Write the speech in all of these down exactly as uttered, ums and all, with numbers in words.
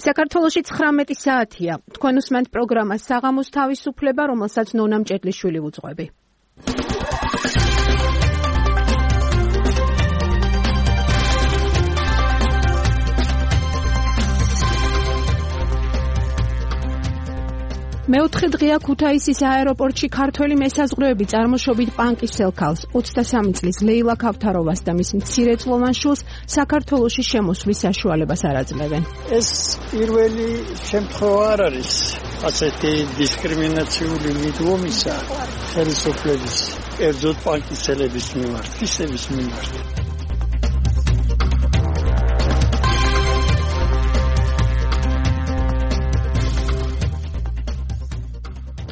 საქართველოში ცხრამეტი საათია. თქვენ უსმენთ პროგრამას საღამოს თავისუფლება, რომელსაც ნონა მჭედლიშვილი უძღვები. მეოთხე დღეა ქუთაისის აეროპორტში ქართველი მესაზღვრეები წარმოშობით პანკის სელქალს, ოცდასამი წლის ლეილა ქავთაროვას და მის მცირეწლოვან შვილს საქართველოში შემოსვლის საშუალებას არ აძლევენ. ეს პირველი შემთხვევა არ არის ასეთი დისკრიმინაციული მიდგომისა ხელისუფლების, კერძოდ პანკისელების მიმართ, ისების მიმართ.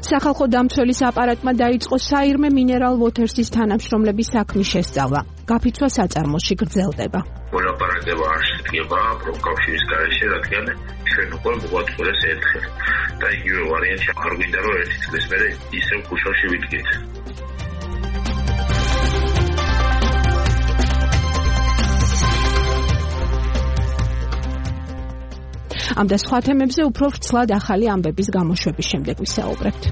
სახალხო დამცველის აპარატმა დაიწყო საირმე მინერალ ვოთერსის თანამშრომლების საქმის შესწავლა. გაფიცვა საწარმოში გრძელდება. მოლაპარაკება არ შედგება პროფკავშირის გარეშე, რადგან ჩვენ უკვე მოგვაწყვეტეს ერთხელ და იგივე ვარიანტი არ გვინდა რომ ერთი წლის მერე ისევ ქუჩაში ვიდგეთ. ამ და სხვა თემებზე უფრო ვრცლად ახალი ამბების გამოშვების შემდეგ ვისაუბრებთ.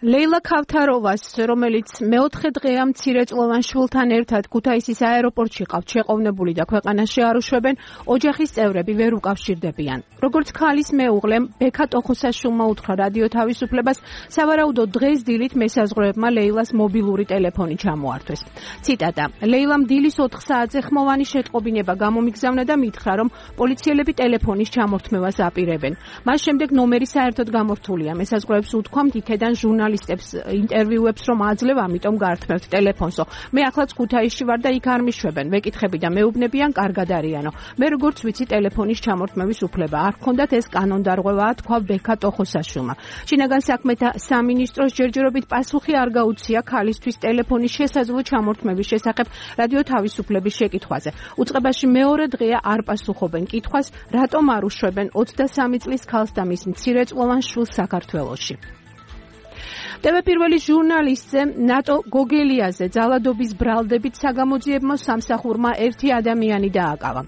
ლეილა ქავთაროვას, რომელიც მეოთხე დღეა მცირეწლოვან შვილთან ერთად ქუთაისის აეროპორტში ყავთ შეყოვნებული და ქვეყანაში არ უშვებენ, ოჯახის წევრები ვერ უკავშირდებიან. როგორც ქალის მეუღლემ ბექა ტოხოსაშვილმა უთხრა რადიო თავისუფლებას, სავარაუდოდ დღეს დილით მესაზღვრეებმა ლეილას მობილური ტელეფონი ჩამოართვეს. ციტატა: ლეილამ დილის ოთხ საათზე ხმოვანი შეტყობინება გამომიგზავნა და მითხრა, რომ პოლიციელები ტელეფონის ჩამორთმევას აპირებენ. მას შემდეგ ნომერი საერთოდ გამორთულია. მესაზღვრეებს უთქვამთ იქედან ჟურნალისტებს ინტერვიუებს რომ აძლევ, ამიტომ გართმევთ ტელეფონსო. მე ახლაც ქუთაისში ვარ და იქ არ მიშვებენ. ვეკითხები და მეუბნებიან, კარგად არიანო. მე როგორც ვიცი, ტელეფონის ჩამორთმევის უფლება არ ჰქონდათ, ეს კანონდარღვევაა, თქვა ბექა ტოხოსაშვილმა. შინაგან საქმეთა სამინისტროს ჯერჯერობით პასუხი არ გაუწია ქალისთვის ტელეფონის შესაძლო ჩამორთმევის შესახებ რადიო თავისუფლების შეკითხვაზე. უწყებაში მეორე დღეა არ პასუხობენ კითხვას, რატომ არ უშვებენ ოცდასამი წლის ქალს და მის მცირეწლოვან შვილს საქართველოში. ტევ პირველი ჟურნალისტზე ნატო გოგელიაზე ძალადობის ბრალდებით საგამოძიებმა სამსახურმა ერთი ადამიანი დააკავა.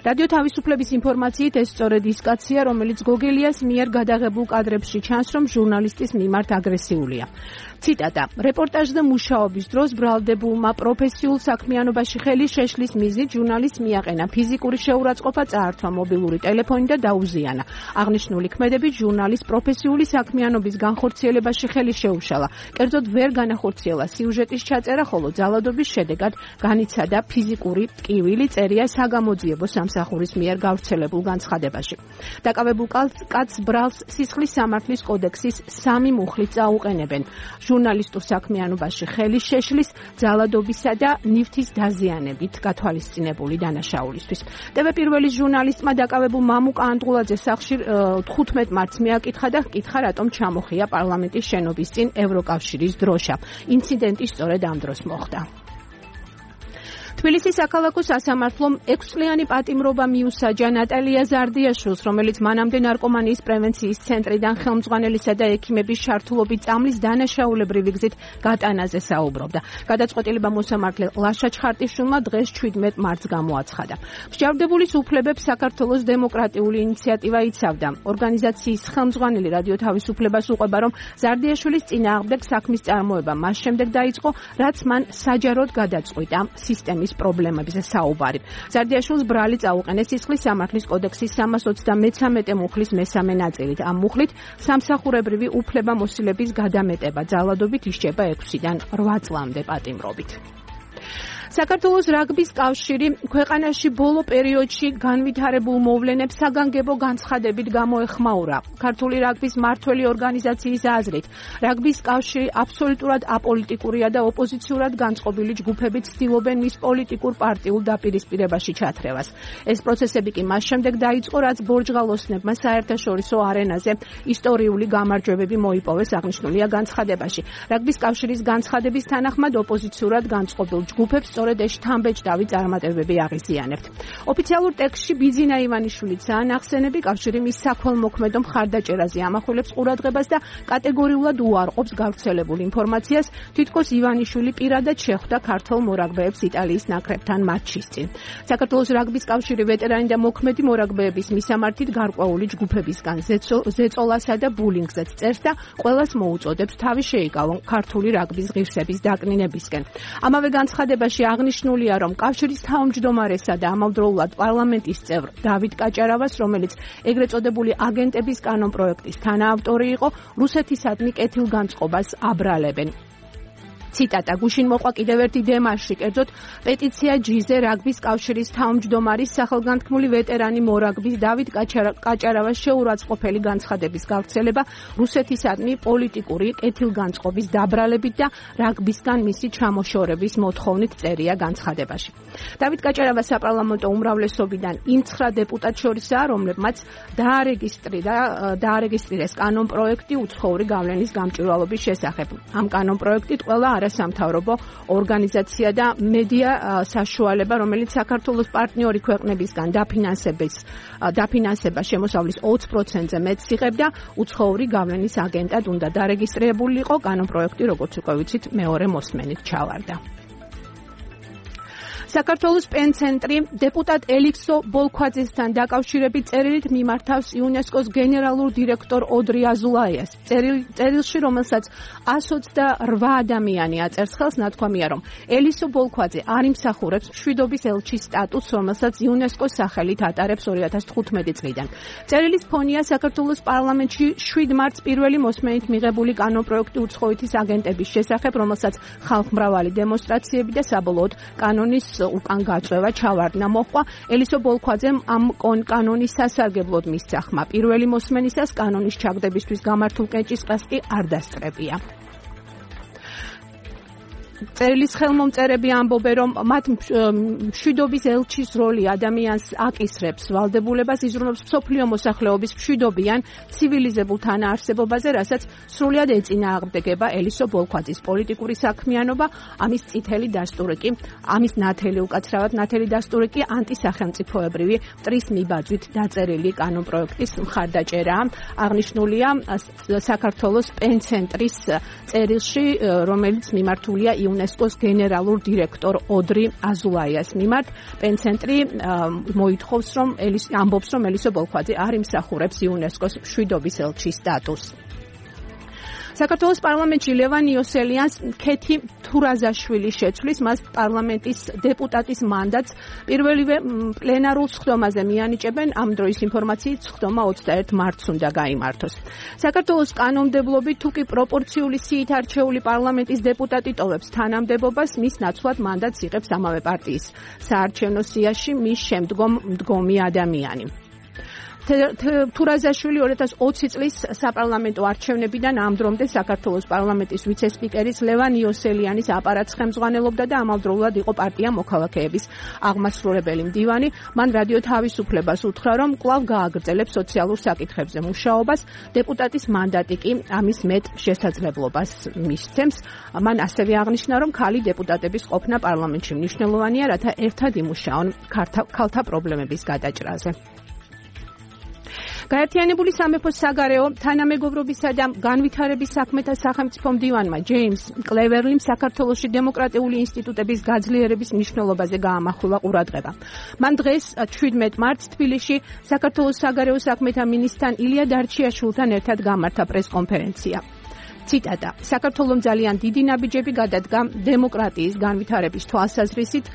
რადიო თავისუფლების ინფორმაციით ეს სწორედ ის კაცია, რომელიც გოგელიას მიერ გადაღებულ კადრებში ჩანს, რომ ჟურნალისტის მიმართ აგრესიულია. ციტატა: რეპორტაჟზე მუშაობის დროს ბრალდებულმა პროფესიულ საქმიანობაში ხელი შეშლის მიზნით ჟურნალისტს მიაყენა ფიზიკური შეურაცხყოფა, წაართვა მობილური ტელეფონი და დაუზიანა. აღნიშნული ქმედებით ჟურნალისტს პროფესიული საქმიანობის განხორციელებაში ხელი შეუშალა. კერძოდ ვერ განახორციელა სიუჟეტის ჩაწერა, ხოლო ძალადობის შედეგად განიცადა ფიზიკური ტკივილი, წერია საგამოძიებო სამსახურის მიერ გავრცელებულ განცხადებაში. დაკავებულ კაცს ბრალს სისხლის სამართლის კოდექსის სამი მუხლით წაუყენებენ. ჟურნალისტურ საქმიანობაში ხელის შეშლის, ძალადობისა და ნივთის დაზიანებით გათვალისწინებული დანაშაულისთვის. ტევ პირველი ჟურნალისტმა დაკავებულ მამუკა ანდღულაძე სახლში თხუთმეტ მარტს მიაკითხა და ჰკითხა, რატომ ჩამოხია პარლამენტის შენობის წინ ევროკავშირის დროშა. ინციდენტი სწორედ ამ დროს მოხდა. თბილისის საქალაქო სასამართლომ ექვსწლიანი პატიმრობა მიუსაჯა ნატალია ზარდიაშვილს, რომელიც მანამდე ნარკომანიის პრევენციის ცენტრიდან ხელმძღვანელისა და ექიმების ჩართულობით წამლის დანაშაულებრივი გზით გატანაზე საუბრობდა. გადაწყვეტილება მოსამართლე ლაშა ჩხარტიშვილმა დღეს შვიდმეტ მარტს გამოაცხადა. მსჯავრდებულის უფლებებს საქართველოს დემოკრატიული ინიციატივა იცავდა. ორგანიზაციის ხელმძღვანელი რადიო თავისუფლებას უყვება, რომ ზარდიაშვილის წინააღმდეგ საქმის წარმოება მას შემდეგ დაიწყო, რაც მან საჯაროდ გადაწყვიტა სისტემის პრობლემებზე საუბარი. ზარდიაშვილს ბრალი წაუყენეს სისხლის სამართლის კოდექსის სამას ოცდამეცამეტე მუხლის მესამე ნაწილით. ამ მუხლით სამსახურებრივი უფლებამოსილების გადამეტება ძალადობით ისჯება ექვსიდან რვა წლამდე პატიმრობით. საქართველოს რაგბის კავშირი ქვეყანაში ბოლო პერიოდში განვითარებულ მოვლენებს საგანგებო განცხადებით გამოეხმაურა. ქართული რაგბის მმართველი ორგანიზაციის აზრით, რაგბის კავშირი აბსოლუტურად აპოლიტიკურია და ოპოზიციურად განწყობილი ჯგუფებით ცდილობენ მის პოლიტიკურ პარტიულ დაპირისპირებაში ჩათრევას. ეს პროცესები კი მას შემდეგ დაიწყო, რაც ბორჯღალოსნებმა საერთაშორისო არენაზე ისტორიული გამარჯვებები მოიპოვეს, აღნიშნულია განცხადებაში. რაგბის კავშირის განცხადების თანახმად ოპოზიციურად განწყობილ ჯგუფებს სწორედ ეს შთამბეჭდავი წარმატებები აღიზიანებთ. ოფიციალურ ტექსტში ბიძინა ივანიშვილიცაა ნახსენები, კავშირი მის საქველმოქმედო მხარდაჭერაზე ამახვილებს ყურადღებას და კატეგორიულად უარყოფს გავრცელებულ ინფორმაციას, თითქოს ივანიშვილი პირადად შეხვდა ქართველ მორაგბეებს იტალიის ნაკრებთან მატჩის წინ. საქართველოს რაგბის კავშირი ვეტერანი და მოქმედი მორაგბეების მისამართით გარკვეული ჯგუფებისგან ზეწოლასა და ბულინგზეც წერს და ყველას მოუწოდებს თავი შეიკავონ ქართული რაგბის ღირსების დაკნინებისკენ. ამავე განცხადებაში აღნიშნულია, რომ კავშირის თავმჯდომარესა და ამავდროულად პარლამენტის წევრ დავით კაჭარავას, რომელიც ეგრეთ წოდებული აგენტების კანონპროექტის თანაავტორი იყო, რუსეთისადმი კეთილგანწყობას აბრალებენ. ციტატა: გუშინ მოყვა კიდევ ერთი დემარში, კერძოდ პეტიცია ჯიზე რაგბის კავშირის თავმჯდომარის სახელგანთქმული ვეტერანი მორაგბის დავით კაჭარავას შეურაცხყოფელი განცხადების გავრცელება რუსეთისადმი პოლიტიკური კეთილგანწყობის დაბრალებით და რაგბისგან მისი ჩამოშორების მოთხოვნით წერია განცხადებაში. დავით კაჭარავა საპარლამენტო უმრავლესობიდან იმ ცხრა დეპუტატ შორისაა, რომლებმაც დაარეგისტრირა დაარეგისტრირეს კანონპროექტი უცხოური გავლენის გამჭვირვალობის შესახებ. ამ კანონპროექტით ყველა არასამთავრობო ორგანიზაცია და მედია საშუალება, რომელიც საქართველოს პარტნიორი ქვეყნებისგან დაფინანსების დაფინანსება შემოსავლის ოცი პროცენტზე მეტს იღებდა, უცხოური გავლენის აგენტად უნდა დარეგისტრირებულიყო. კანონპროექტი, როგორც უკვე ვიცით, მეორე მოსმენით ჩავარდა. საქართველოს პენცენტრი დეპუტატ ელიქსო ბოლქვაძესთან დაკავშირებით წერილით მიმართავს იუნესკოს გენერალურ დირექტორ ოდრი აზულაიას. წერილში, რომელსაც εκατს ოცდაოთხ ადამიანი აწერს ხელს, ნათქვამია, რომ ელისო ბოლქვაძე არ იმსახურებს მშვიდობის ელჩის სტატუსს, რომელსაც იუნესკოს სახელით ატარებს ორი ათას თხუთმეტი წლიდან. წერილის ფონია საქართველოს პარლამენტში შვიდ მარტს პირველი მოსმენით მიღებული კანონპროექტი უცხოეთის აგენტების შესახებ, რომელსაც ხალხმრავალი დემონსტრაციები და საბოლოოდ კანონის უკან გაწევა ჩავარდნა მოჰყვა. ელისო ბოლქვაძემ ამ კანონის სასარგებლოდ მისცა ხმა. პირველი მოსმენისას კანონის ჩაგდებისთვის გამართულ კენჭისყრას კი არ დასწრებია. წერილის ხელმომწერები ამბობენ, რომ მათ მშვიდობის ელჩის როლი ადამიანს აკისრებს ვალდებულებას, იზრუნებს მსოფლიო მოსახლეობის მშვიდობიან ცივილიზებულ თანაარსებობაზე, რასაც სრულად ეწინააღმდეგება ელისო ბოლქვაძის პოლიტიკური საქმიანობა. ამის წითელი დასტური კი, ამის ნათელი უკაცრავად ნათელი დასტური კი ანტისახელმწიფოებრივი მტრის მიბაძვით დაწერილი კანონპროექტის მხარდაჭერაა. აღნიშნულია საქართველოს პენცენტრის წერილში, რომელიც მიმართულია იუნესკოს გენერალურ დირექტორ ოდრი აზულაიას მიმართ. პენცენტრი მოითხოვს, რომ ამბობს, რომ ელისო ბოლქვაძე არ იმსახურებს იუნესკოს მშვიდობის ელჩის სტატუსს. საქართველოს პარლამენტში ლევან იოსელიანს ქეთი თურაზაშვილი შეცვლის, მას პარლამენტის დეპუტატის მანდატს პირველივე პლენარულ სხდომაზე მიანიჭებენ. ამ დროის ინფორმაციით სხდომა ოცდაერთი მარტს უნდა გაიმართოს. საქართველოს კანონმდებლობით თუ კი პროპორციული სიით არჩეული პარლამენტის დეპუტატი ტოვებს თანამდებობას, მის ნაცვლად მანდატს იღებს ამავე პარტიის საარჩევნო სიაში მის შემდგომ მდგომი ადამიანი. თურაზაშვილი ორი ათას ოცი წლის საპარლამენტო არჩევნებიდან ამ დრომდე საქართველოს პარლამენტის ვიცე-სპიკერის ლევან იოსელიანის აპარატს ხელმძღვანელობდა და ამავდროულად იყო პარტია მოქალაქეების აღმასრულებელი მდივანი. მან რადიო თავისუფლებას უთხრა, რომ კვლავ გააგრძელებს სოციალურ საკითხებზე მუშაობას. დეპუტატის მანდატი კი ამის მეტ შესაძლებლობას მისცემს. მან ასევე აღნიშნა, რომ ქალი დეპუტატების ყოფნა პარლამენტში მნიშვნელოვანია, რათა ერთად იმუშაონ ქალთა პრობლემების გადაჭრაზე. გაერთიანებული სამეფოს საგარეო თანამეგობრობისა და განვითარების საქმეთა სახელმწიფო მდივანმა ჯეიმს კლევერლიმ საქართველოში დემოკრატიული ინსტიტუტების გაძლიერების მნიშვნელობაზე გაამახვილა ყურადღება. მან დღეს შვიდმეტ მარტს თბილისში საქართველოს საგარეო საქმეთა მინისტრთან ილია დარჩიაშვილთან ერთად გამართა პრესკონფერენცია. ციტატა: საქართველომ ძალიან დიდი ნაბიჯები გადადგა დემოკრატიის განვითარების თვალსაზრისით,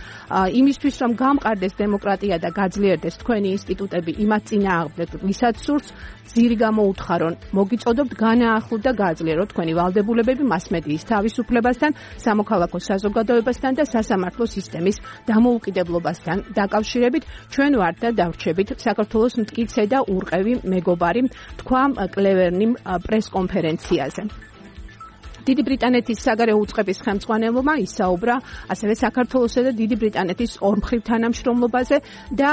იმისთვის რომ გამყარდეს დემოკრატია და გაძლიერდეს თქვენი ინსტიტუტები იმათ წინააღმდეგ, ვისაც სურს, ძირი გამოუთხარონ, მოგიწოდობთ განაახლოთ და გააძლიეროთ თქვენი ვალდებულებები მასმედიის თავისუფლებასთან, სამოქალაქო საზოგადოებასთან და სასამართლო სისტემის დამოუკიდებლობასთან დაკავშირებით. ჩვენ ვართ და დავრჩებით საქართველოს მტკიცე და ურყევი მეგობარი, თქვა კლევერნიმ პრესკონფერენციაზე. დიდი ბრიტანეთის საგარეო უწყების ხელმძღვანელობა ისაუბრა ასევე საქართველოსა და დიდი ბრიტანეთის ორმხრივ თანამშრომლობაზე და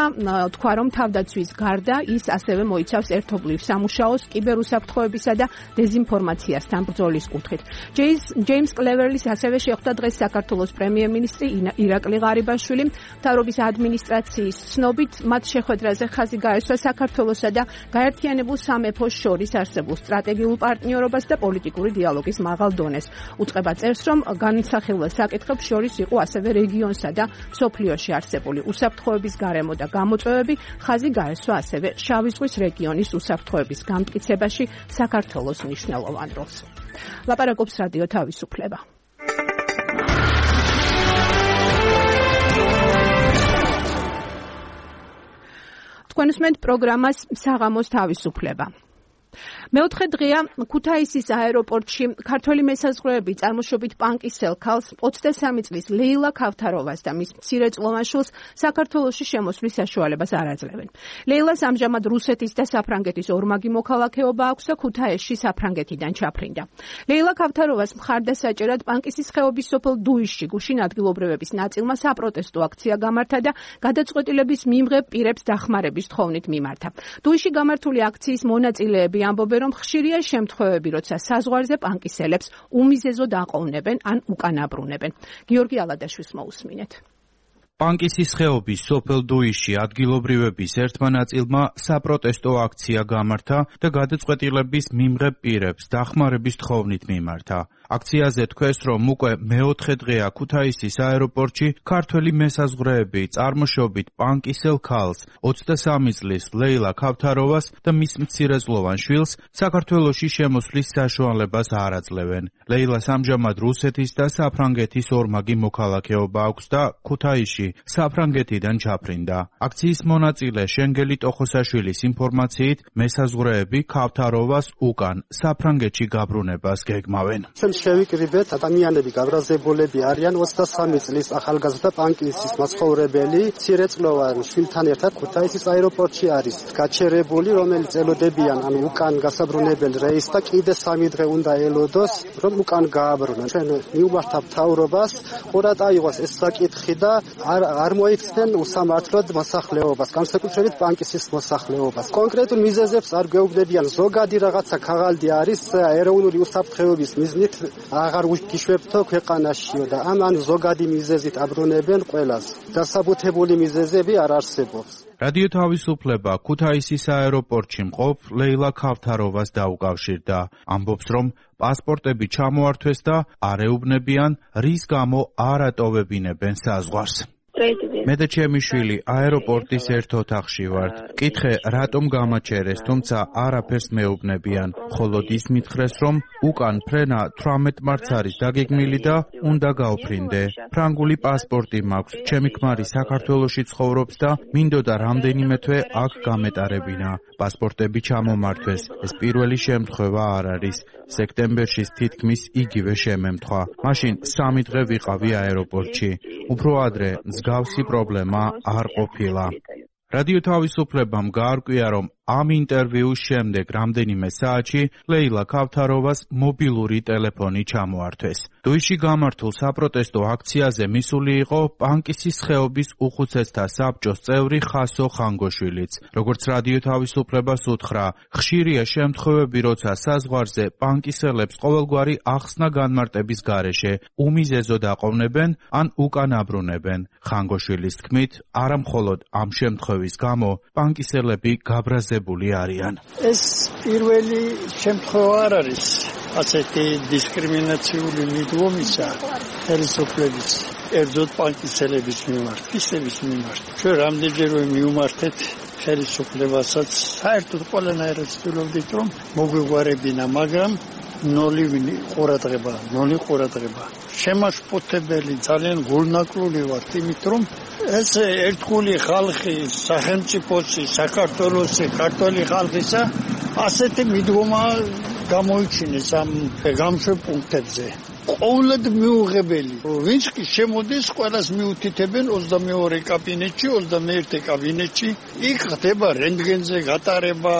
თქვა, რომ თავდაცვის გარდა ის ასევე მოიცავს ერთობლივ სამუშაოს კიბერუსაფრთხოებისა და დეზინფორმაციასთან ბრძოლის კუთხით. ჯეიმს კლევრლის ასევე შეხვდა დღეს საქართველოს პრემიერ-მინისტრი ირაკლი ღარიბაშვილი. მთავრობის ადმინისტრაციის ცნობით მათ შეხვედრაზე ხაზი გაესვა საქართველოსა და გაერთიანებულ სამეფოს შორის არსებულ სტრატეგიულ პარტნიორობას და პოლიტიკური დიალოგის მაღალ დონეს. უწყება წერს, რომ განსახილველ საკითხებს შორის იყო ასევე რეგიონსა და მსოფლიოში არსებული უსაფრთხოების გარემო და გამოწვევები. ხაზი გაესვა ასევე შავი ზღვის რეგიონის უსაფრთხოების გამტკიცებაში საქართველოს მნიშვნელოვან როლს. ლაპარაკობს რადიო თავისუფლება. თქვენ უსმენთ პროგრამას საღამოს თავისუფლება. მეოთხე დღეა ქუთაისის აეროპორტში ქართველი მესაზღვრეები წარმოშობით პანკის სელქალს ოცდასამი წლის ლეილა ქავთაროვას და მის მცირეწლოვან შვილს საქართველოში შემოსვლის საშუალებას არ აძლევენ. ლეილას ამჟამად რუსეთის და საფრანგეთის ორმაგი მოქალაქეობა აქვს და ქუთაისში საფრანგეთიდან ჩაფრინდა. ლეილა ქავთაროვას მხარდასაჭერად პანკისის ხეობის სოფელ დუიშში გუშინ ადგილობრივების ნაწილმა საპროტესტო აქცია გამართა და გადაწყვეტილების მიმღებ პირებს დახმარების თხოვნით მიმართა. დუიში გამართული აქციის მონაწილეები ამბობენ, რომ ხშირია შემთხვევები, როცა საზღვარზე პანკისელებს უმიზეზოდ აყოვნებენ ან უკანაბრუნებენ. გიორგი ალადაშვილს მოусმინეთ. პანკისის ხეობის სოფელ დუიში ადგილობრივების ერთმა ნაწილმა საპროტესტო აქცია გამართა და გადაწყვეტილების მიმღებ პირებს დახმარების თხოვნით მიმართა. აქციაზე თქვეს, რომ უკვე მეოთხე დღეა ქუთაისის აეროპორტში ქართველი მესაზღვრეები წარმოშობით პანკისელ ქალს ოცდასამი წლის ლეილა ქავთაროვას და მის მცირეწლოვან შვილს საქართველოში შემოსვლის საშუალებას არ აძლევენ. ლეილას ამჟამად რუსეთის და საფრანგეთის ორმაგი მოქალაქეობა აქვს და ქუთაისში საფრანგეთიდან ჩაფრინდა. აქციის მონაწილე შენგელი ტოხოსაშვილის ინფორმაციით მესაზღვრეები ქავთაროვას უკან საფრანგეთში გაბრუნებას გეგმავენ. შევიკრიბეთ ადამიანები გაბრაზებულები არიან ოცდასამი წლის ახალგაზრდა პანკისის მაცხოვრებელი მცირეწლოვან შვილთან ერთად ქუთაისის აეროპორტში არის გაჩერებული, რომელიც ელოდებიან ან უკან გასაბრუნებელ რეისს და კიდე სამი დღე უნდა ელოდოს, რომ უკან გააბრუნონ. ჩვენ მიუვართავთ მთავრობას, ყურად აიღოს ეს საკითხი და არ, არ მოიქცნენ უსამართლოდ მოსახლეობას, განსაკუთრებით პანკისის მოსახლეობას. კონკრეტულ მიზეზებს არ გვეუბნებიან, ზოგადი რაღაცა ქაღალდი არის ეროვნული უსაფრთხოების მიზნით აღარ ვიშვებთო ქვეყანაშიო და ამან ზოგადი მიზეზით აბრუნებენ ყველას. დასაბუთებული მიზეზები არ არსებობს. რადიო თავისუფლება ქუთაისის აეროპორტში მყოფ ლეილა ქავთაროვას დაუკავშირდა. ამბობს, რომ პასპორტები ჩამოართვეს და არ ეუბნებიან, რის გამო არ ატოვებინებენ საზღვარს. მე და ჩემი შვილი აეროპორტის ერთ ოთახში ვართ. კითხე, რატომ გამაჩერეს, თუმცა არაფერს მეუბნებიან. მხოლოდ ის მითხრეს, რომ უკან ფრენა თვრამეტ მარტს არის დაგეგმილი და უნდა გავფრინდე. ფრანგული პასპორტი მაქვს. ჩემი ქმარი საქართველოში ცხოვრობს და მინდოდა რამდენიმე თვე აქ გამეტარებინა. პასპორტები ჩამომართვეს. ეს პირველი შემთხვევა არ არის. სექტემბერში თითქმის იგივე შემემთხვა. მაშინ სამი დღე ვიყავი აეროპორტში. უფრო ადრე მსგავსი პრობლემა არ ყოფილა. რადიო თავისუფლებამ გაარკვია, რომ ამ ინტერვიუს შემდეგ რამდენიმე საათში ლეილა ქავთაროვას მობილური ტელეფონი ჩამოართვეს. დუიში გამართულ საპროტესტო აქციაზე მისული იყო პანკისის ხეობის უხუცესთა საბჭოს წევრი ხასო ხანგოშვილიც. როგორც რადიო თავისუფლებას უთხრა, ხშირია შემთხვევები, როცა საზღვარზე პანკისელებს ყოველგვარი ახსნა განმარტების გარეშე უმიზეზოდ აყოვნებენ ან უკან აბრუნებენ. ხანგოშვილის თქმით, არა მხოლოდ ამ შემთხვევის გამო პანკისელები გაბრაზებული არიან. ეს პირველი შემთხვევა არ არის ასეთი დისკრიმინაციული მიდგომისა ხელისუფლების ერთზოდ პანკისელების მიმართ, ისების მიმართ. ჩვენ რამდენჯერმე მივმართეთ ხელისუფლებასაც, საერთოდ ყველანაირად ვცდილობდით, რომ მოგვიგვარებინა, მაგრამ ნოლი ყურადღება, ნოლი ყურადღება. შემაშფოთებელი, ძალიან გულნაკლული ვართ, იმით რომ ეს ერთგული ხალხი, სახელმწიფოსი, საქართველოსი, ქართველი ხალხისა ასეთი მიდგომა გამოიჩინეს ამ გამშვებ პუნქტებზე. ყოველად მიუღებელი. ვინც კი შემოდის, ყველას მიუთითებენ ოცდამეორე კაბინეტში, ოცდამეერთე კაბინეტში. იქ ხდება რენტგენზე გატარება,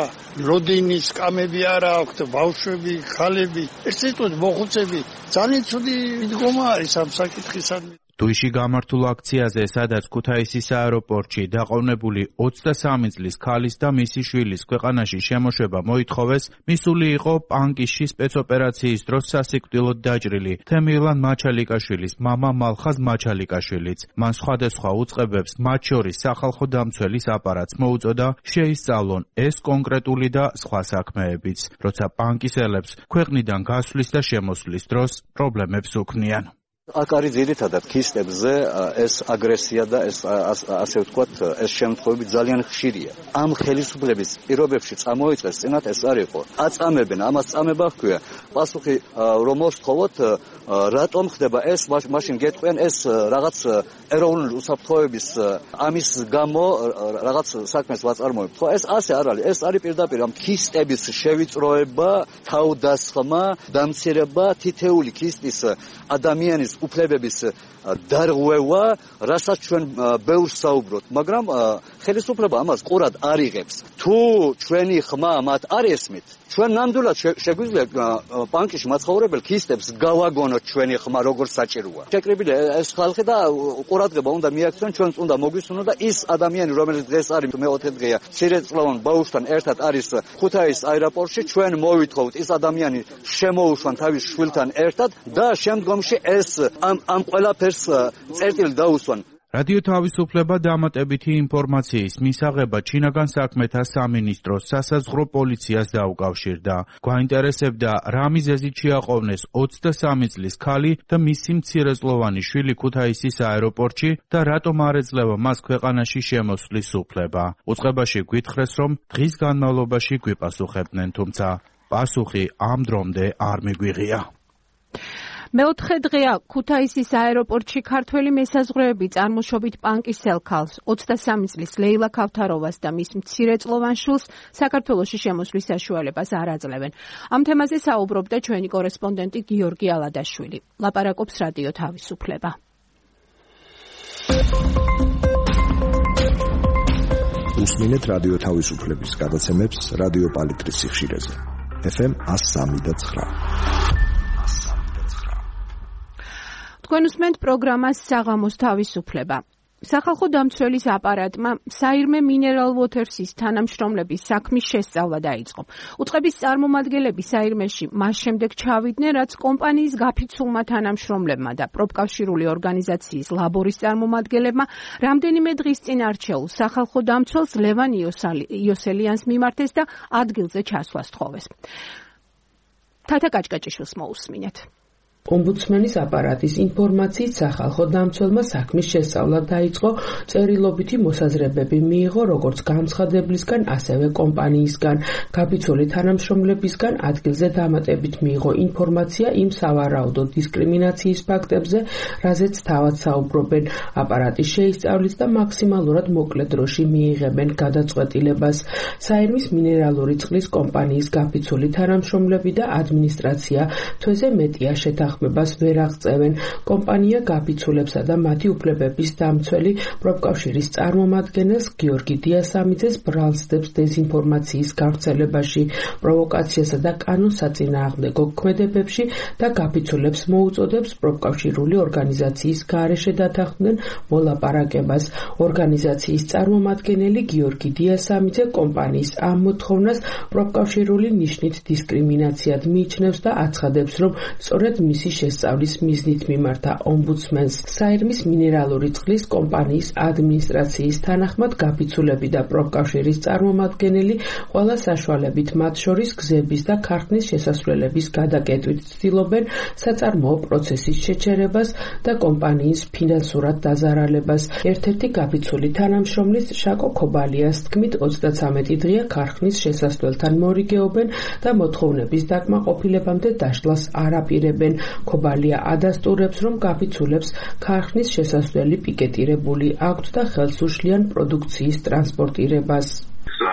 როდინის კამები არა აქვთ, ბავშვები, ხალები, ერთ სიტყვით მოხუცები. ძალიან ცუდი მიდგომა არის ამ საკითხისადმი. თუიში გამართულ აქციაზე, სადაც ქუთაისის აეროპორტში დაყოვნებული ოცდასამი წლის ქალის და მისი შვილის ქვეყანაში შემოშვება მოითხოვეს, მისული იყო პანკისში სპეცოპერაციის დროს სასიკვდილოდ დაჭრილი თემილან მაჩალიკაშვილის მამა მალხაზ მაჩალიკაშვილიც. მან სხვადასხვა უწყებებს, მათ შორის სახალხო დამცველის აპარატს მოუწოდა შეისწავლონ ეს კონკრეტული და სხვა საქმეებიც, როცა პანკისელებს ქვეყნიდან გასვლის და შემოსვლის დროს პრობლემებს უქმნიან. აქ არის ძირითადად ქისტებზე ეს აგრესია და ეს ასე ვთქვათ, ეს შემთხვევები ძალიან ხშირია. ამ ხელისუფლების პირობებში წამოიწყეს წინათ ეს არ იყო. აწამებენ, ამას წამება ჰქვია. პასუხი რომ მოსთხოვოთ, რატომ ხდება ეს, მაშინ გეტყვიან ეს რაღაც ეროვნული უსაფრთხოების ამის გამო რაღაც საქმეს ვაწარმოებთ. ხო, ეს ასე არ არის. ეს არის პირდაპირ ამ ქისტების შევიწროება, თავდასხმა, დამცირება, თითეული ქისტის ადამიანის უფლებების დარღვევა, რასაც ჩვენ ბევრს საუბრობთ, მაგრამ ხელისუფლება ამას ყურად არ იღებს. თუ ჩვენი ხმა მათ არ ესმით, ჩვენ ნამდვილად შეგვიძლია პანკისში მაცხოვრებელ ქისტებს გავაგონოთ ჩვენი ხმა როგორც საჭიროა. შეკრებილი ეს ხალხი და ყურადღება უნდა მიაქციონ, ჩვენც უნდა მოგვისურვონ და ის ადამიანი, რომელიც დღეს არის მეოთხე დღეა, მცირეწლოვან ბავშვთან ერთად არის ქუთაისის აეროპორტში, ჩვენ მოვითხოვთ ის ადამიანი შემოუშვან თავის შვილთან ერთად და შემდგომში ეს ამ ამ ყველაფერს წერტილი დაუსვან. რადიო თავისუფლება დამატებითი ინფორმაციის მისაღება ჩინაგან საქმეთა სამინისტროს სასაზღვრო პოლიციას დაუკავშირდა. გვაინტერესებდა, რა მიზეზით შეაყოვნეს ოცდასამი წლის ქალი და მისი მცირეწლოვანი შვილი ქუთაისის აეროპორტში და რატომ არ ეძლევა მას ქვეყანაში შემოსვლის უფლება. უწყებაში გვითხრეს, რომ დღის განმავლობაში გვიპასუხებდნენ, თუმცა პასუხი ამ დრომდე არ მიგვიღია. მეოთხე დღეა ქუთაისის აეროპორტში ქართველი მესაზღვრეები წარმოშობით პანკისელ ქალს, ოცდასამი წლის ლეილა ქავთაროვას და მის მცირეწლოვან შვილს საქართველოში შემოსვლის საშუალებას არ აძლევენ. ამ თემაზე საუბრობდა ჩვენი კორესპონდენტი გიორგი ალადაშვილი. ლაპარაკობს რადიო თავისუფლება. უსმინეთ რადიო თავისუფლების გადაცემებს რადიო პალიტრის სიხშირეზე. ეფ ემ εκατო სამი და ცხრა. თქვენ უსმენთ პროგრამას საღამოს თავისუფლება. სახალხო დამცველის აპარატმა საირმე მინერალ ვოთერსის თანამშრომლების საქმის შესწავლა დაიწყო. უწყების წარმომადგენლები საირმეში მას შემდეგ ჩავიდნენ, რაც კომპანიის გაფიცულმა თანამშრომლებმა და პროფკავშირული ორგანიზაციის ლაბორის წარმომადგენლებმა რამდენიმე დღის წინ არჩეულ სახალხო დამცველს ლევან იოსელიანს მიმართეს და ადგილზე ჩასვლა სთხოვეს. თათა კაჭკაჭიშვილს მოусმინეთ. ომბუდსმენის აპარატის ინფორმაციით სახალხო დამცველმა საქმის შესწავლა დაიწყო, წერილობითი მოსაზრებები მიიღო როგორც განცხადებლისგან, ასევე კომპანიისგან, გაფიცული თანამშრომლებისგან. ადგილზე დამატებით მიიღო ინფორმაცია იმ სავარაუდო დისკრიმინაციის ფაქტებზე, რაზეც თავად საუბრობენ. აპარატის შეისწავლის და მაქსიმალურად მოკლე დროში მიიღებენ გადაწყვეტილებას. საირმის მინერალური წყლის კომპანიის გაფიცული თანამშრომლები და ადმინისტრაცია თვეზე მეტია შეთანხმებას ვერ აღწევენ. კომპანია გაფიცულებსა და მათი უფლებების დამცველი პროფკავშირის წარმომადგენელს გიორგი დიასამიძეს ბრალს დებს დეზინფორმაციის გავრცელებაში, პროვოკაციასა და კანონსაწინააღმდეგო ქმედებებში და გაფიცულებს მოუწოდებს პროფკავშირული ორგანიზაციის გარეშე დათანხმდნენ მოლაპარაკებას. ორგანიზაციის წარმომადგენელი გიორგი დიასამიძე კომპანიის ამ მოთხოვნას პროფკავშირული ნიშნით დისკრიმინაციად მიიჩნევს და აცხადებს, რომ სწორედ მისი შესწავლის მიზნით მიმართა ომბუდსმენს. საირმის მინერალური წყლის კომპანიის ადმინისტრაციის თანახმად გაფიცულები და პროფკავშირის წარმომადგენელი ყველა საშუალებით, მათ შორის გზების და ქარხნის შესასვლელების გადაკეტვით ცდილობენ საწარმოო პროცესის შეჩერებას და კომპანიის ფინანსურად დაზარალებას. ერთ-ერთი გაფიცული თანამშრომლის შაკო ქობალიას თქმით, ოცდათვრამეტი დღეა ქარხნის შესასვლელთან მორიგეობენ და მოთხოვნების დაკმაყოფილებამდე დაშლას არ აპირებენ. ქობალია ადასტურებს, რომ გაფიცულებს ქარხნის შესასვლელი პიკეტირებული აქვთ და ხელს უშლიან პროდუქციის ტრანსპორტირებას.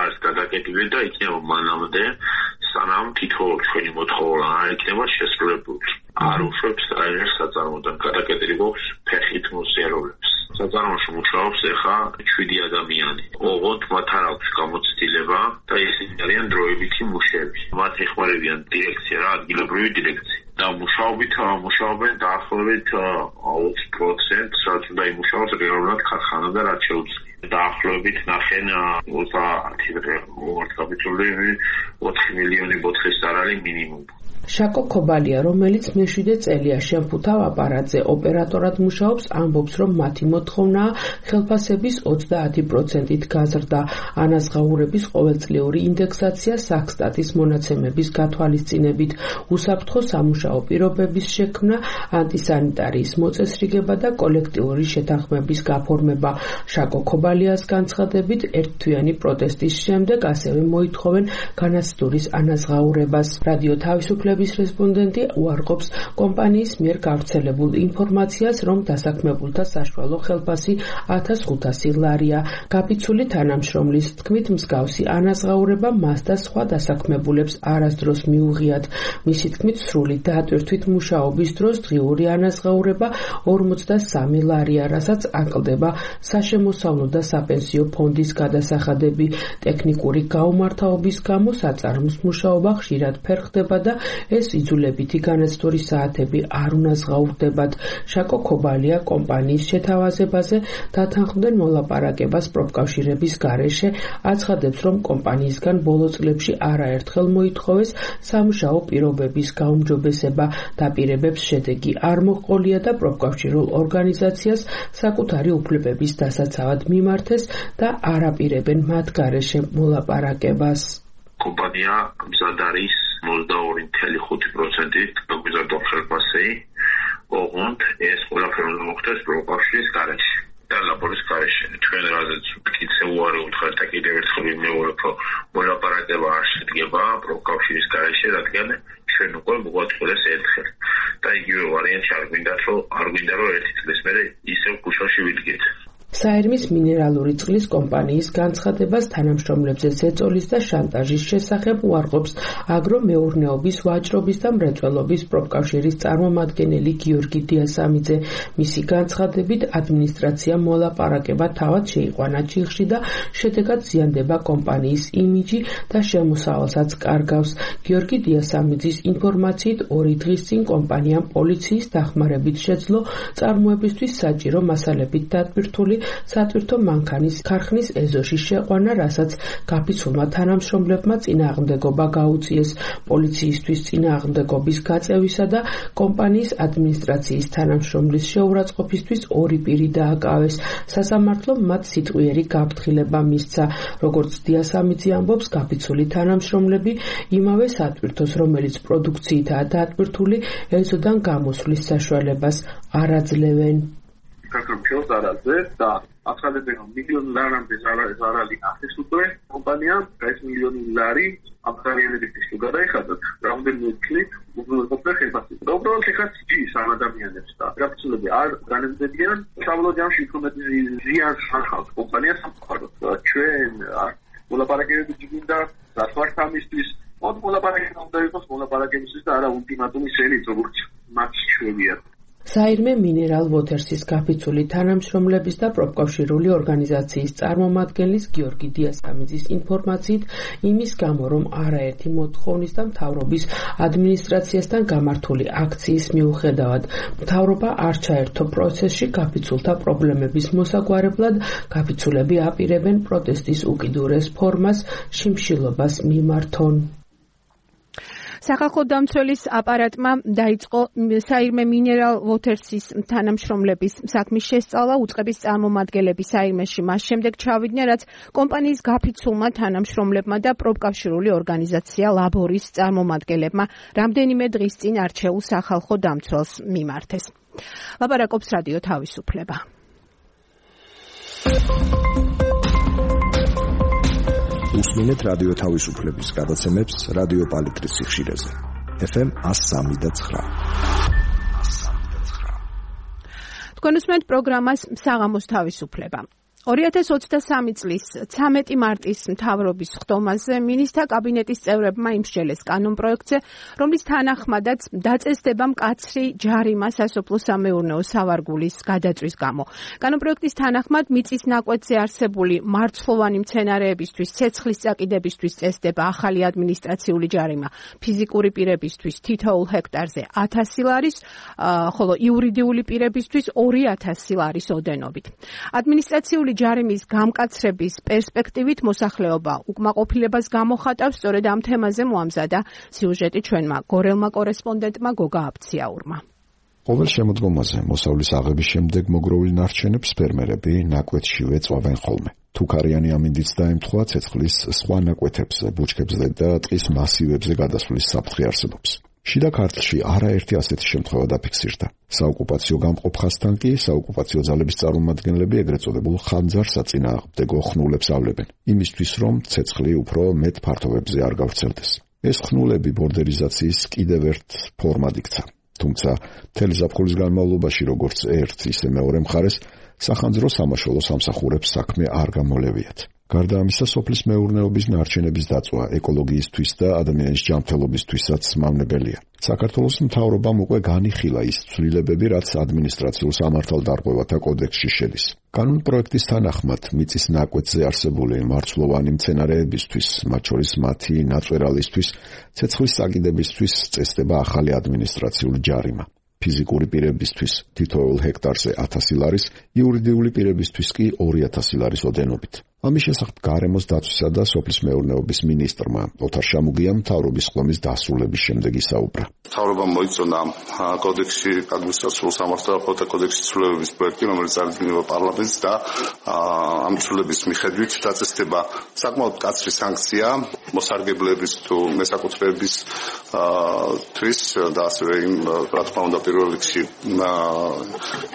არის გადაკეტილი და იქნება მანამდე, სანამ თითო ჩვენი მოთხოვნა არ იქნება შესრულებული. არ უშვებს რაიმე საწარმოდან გადაკეთებას ფეხით მოსიარულებს. საწარმოში მუშაობს ახლა შვიდი ადამიანი. ოღონდ მათ არ აქვს გამოცდილება და ისინი არიან დროებითი მუშები. მათ ეხმარებიან დირექცია რა, ადგილობრივი დირექცია. და მუშაობით მუშაობენ დაახლოებით ოცი პროცენტს, რაც უნდა იმუშაოს რეალურად ქარხანა და რაც შეუძლია. დაახლოებით ნახენ ოცდაათი დღე მოვარცხაბითული ოთხი მილიონი ბოთხის ზარალი მინიმუმ. შაკო ქობალია, რომელიც მეშვიდე წელია შემფუთავ აპარატზე ოპერატორად მუშაობს, ამბობს, რომ მათი მოთხოვნა ხელფასების ოცდაათი პროცენტით გაზრდა. ანაზღაურების ყოველწლიური ინდექსაცია საქსტატის მონაცემების გათვალისწინებით, უსაფრთხო სამუშაო პირობების შექმნა, ანტისანიტარიის მოწესრიგება და კოლექტიური შეთანხმების გაფორმება. შაკო ქობალიას განცხადებით, ერთთვიანი პროტესტის შემდეგ ასევე მოითხოვენ განაცდურის ანაზღაურებას. რადიო თავისუფლების რესპონდენტი უარყოფს კომპანიის მიერ გავრცელებულ ინფორმაციას, რომ დასაქმებულთა საშუალო ხელფასი ათას ხუთასი ლარია. გაფიცული თანამშრომლის თქმით, მსგავსი ანაზღაურება მას და სხვა დასაქმებულებს არასდროს მიუღიათ. მისი თქმით, სრული დატვირთვით მუშაობის დროს დღიური ანაზღაურება ორმოცდასამი ლარია, რასაც აკლდება საშემოსავლო და საპენსიო ფონდის გადასახადები. ტექნიკური გაუმართავობის გამო საწარმოს მუშაობა ხშირად ფერხდება და ეს იძულებითი განაცდურის საათები არ უნაზღაურდებათ. შაკო ქობალია კომპანიის შეთავაზებაზე დათანხმდნენ მოლაპარაკებას პროფკავშირების გარეშე, აცხადებს, რომ კომპანიისგან ბოლო წლებში არაერთხელ მოითხოვეს სამუშაო პირობების გაუმჯობესება. დაპირებებს შედეგი არ მოჰყოლია და პროფკავშირულ ორგანიზაციას საკუთარი უფლებების დასაცავად მიმართეს და არაპირებენ მათ გარეშე მოლაპარაკებას. კომპანია მზად არის ოცდაორი კoma ხუთი პროცენტით გაგვიზარდო ხელფასი, ოღონდ ეს ყველაფერი უნდა მოხდეს პროფკავშირის გარეშე და ლაბორის გარეშე. ჩვენ რაზეც კიდე უარი უთხრეთ და კიდევ ერთხელ ვიმეორებ, რომ მოლაპარაკება არ შედგება პროფკავშირის გარეშე, რადგან ჩვენ უკვე მოგვაწყვეტეს ერთხელ და იგივე ვარიანტი არ გვინდათ, რომ არ გვინდა რომ ერთი წლის მერე ისევ ქუჩაში ვიდგეთ. საერმის მინერალური წყლის კომპანიის განცხადებას თანამშრომლებზე ზეწოლის და შანტაჟის შესახებ უარყოფს აგრომეურნეობის ვაჭრობის და მრეწველობის პროფკავშირის წარმომადგენელი გიორგი დიასამიძე. მისი განცხადებით, ადმინისტრაცია მოლაპარაკება თავად შეიყვანა ჩიხში და შედეგად ზიანდება კომპანიის იმიჯი და შემოსავალსაც კარგავს. გიორგი დიასამიძის ინფორმაციით, ორი დღის წინ კომპანიამ პოლიციის დახმარებით შეძლო წარმოებისთვის საჭირო მასალებით დატვირთული სატვირთო მანქანის ქარხნის ეზოში შეყვანა, რასაც გაფიცულმა თანამშრომლებმა წინააღმდეგობა გაუწიეს. პოლიციისთვის წინააღმდეგობის გაწევისა და კომპანიის ადმინისტრაციის თანამშრომლის შეურაცხყოფისთვის ორი პირი დააკავეს. სასამართლომ მათ სიტყვიერი გაფრთხილება მისცა. როგორც დიასამიძე ამბობს, გაფიცული თანამშრომლები იმავე სატვირთოს, რომელიც პროდუქციითაა დატვირთული, ეზოდან გამოსვლის საშუალებას არ აძლევენ. საქართველოს არაზე და ახალები რომ მილიონი ლარამდე ზარალი ახეს უკვე კომპანიამ ეს მილიონი ლარი აბსოლუტურად ისე გადაიხადა რამდენიმე წლით უბრალოდ ხელფასი. უბრალოდ ეხლა ჭის ამ ადამიანებს და გაფიცულები არ განემდებიან სამლო ჯამში თუმეტი ზიანს ახავს კომპანიას სამყაროს. ჩვენ მოლაპარაკებები გინდა დასვართამისთვის მოდ მოლაპარაკება უნდა იყოს მოლაპარაკებისთვის და არა ულტიმატუმის ელით როგორც მათ შეუძლია. საირმე მინერალ ვოთერსის გაფიცული თანამშრომლების და პროფკავშირული ორგანიზაციის წარმომადგენლის გიორგი დიასამიძის ინფორმაციით, იმის გამო, რომ არაერთი მოთხოვნის და მთავრობის ადმინისტრაციასთან გამართული აქციის მიუხედავად, მთავრობა არ ჩაერთო პროცესში გაფიცულთა პრობლემების მოსაგვარებლად, გაფიცულები აპირებენ პროტესტის უკიდურეს ფორმას, შიმშილობას მიმართონ. სახალხო დამცველის აპარატმა დაიწყო საირმე მინერალ ვოთერსის თანამშრომლების საქმის შესწავლა. უწყების წარმომადგენლები საირმეში მას შემდეგ ჩავიდნენ, რაც კომპანიის გაფიცულმა თანამშრომლებმა და პროფკავშირული ორგანიზაცია ლაბორის წარმომადგენლებმა რამდენიმე დღის წინ არჩეულ სახალხო დამცველს მიმართეს. ლაპარაკობს რადიო თავისუფლება. უსმინეთ რადიო თავისუფლების გადაცემებს რადიო პალიტრის სიხშირეზე. ეფ ემ εκατო სამი და ცხრა. თქვენ უსმენთ პროგრამას საღამოს თავისუფლება. ორი ათას ოცდასამი წლის ცამეტი მარტის მთავრობის ხდომაზე მინისტრთა კაბინეტის წევრებმა იმსჯელეს კანონპროექტზე, რომლის თანახმადაც დაწესდება მკაცრი ჯარიმა სასოფლო-სამეურნეო სავარგულის გადაწვის გამო. კანონპროექტის თანახმად მიწის ნაკვეთზე არსებული მარცვლოვანი მცენარეებისთვის ცეცხლის წაკიდებისთვის წესდება ახალი ადმინისტრაციული ჯარიმა ფიზიკური პირებისთვის თითოეულ ჰექტარზე ათასი ლარის, ხოლო იურიდიული პირებისთვის ორი ათასი ლარის ოდენობით. ადმინისტრაციული ჯარიმის გამკაცრების პერსპექტივით მოსახლეობა უკმაყოფილებას გამოხატავს, სწორედ ამ თემაზე მოამზადა სიუჟეტი ჩვენმა გორელმა კორესპონდენტმა გოგა აბციაურმა. ყოველ შემოდგომაზე მოსავლის აღების შემდეგ მოგროვილ ნარჩენებს ფერმერები ნაკვეთშივე წვავენ ხოლმე. თუქარიანი ამინდიც დაემთხვა ცეცხლის სხვა ნაკვეთებზე, ბუჩქებზე და ტყის მასივებზე გადასვლის საფრთხე არსებობს. შიდა ქართლში არაერთი ასეთი შემთხვევა დაფიქსირდა. საოკუპაციო გამყოფ ხაზთან კი საოკუპაციო ძალების წარმომადგენლები ეგრეთ წოდებულ ხანძარ-საწინააღმდეგო ხნულებს ავლებენ, იმისთვის რომ ცეცხლი უფრო მეტ ფართობებზე არ გავრცელდეს. ეს ხნულები ბორდერიზაციის კიდევ ერთ ფორმად იქცა. თუმცა მთელი ზაფხულის განმავლობაში როგორც ერთ, ისე მეორე მხარეს სახანძრო სამაშველო სამსახურებს საქმე არ გამოლევიათ. გარდა ამისა, სოფლის მეურნეობის ნარჩენების დაწვა ეკოლოგიისთვის და ადამიანის ჯანმრთელობისთვისაც მავნებელია. საქართველოს მთავრობამ უკვე განიხილა ის ცვლილებები, რაც ადმინისტრაციულ სამართალდარღვევათა კოდექსში შედის. კანონპროექტის თანახმად მიწის ნაკვეთზე არსებული მარცვლოვანი მცენარეებისთვის, მათ შორის მათი ნაწვერალისთვის, ცეცხლის წაკიდებისთვის წესდება ახალი ადმინისტრაციული ჯარიმა. ფიზიკური პირებისთვის თითოეულ ჰექტარზე ათასი ლარის, იურიდიული პირებისთვის კი ორი ათასი ლარის ოდენობით. ამის შესახებ გარემოს დაცვისა და სოფლის მეურნეობის მინისტრმა ოთარ შამუგიამ მთავრობის ხდომის დასრულების შემდეგ ისაუბრა. მთავრობამ მოიწონა კოდექსში ადმინისტრაციულ სამართალდარღვევათა კოდექსის ცვლილებების პროექტი, რომელიც წარდგინება პარლამენტს და ამ ცვლილების მიხედვით დაწესდება საკმაოდ მკაცრი სანქცია მოსარგებლეების თუ მესაკუთრეებისთვის და ასევე იმ რა თქმა უნდა პირველ რიგში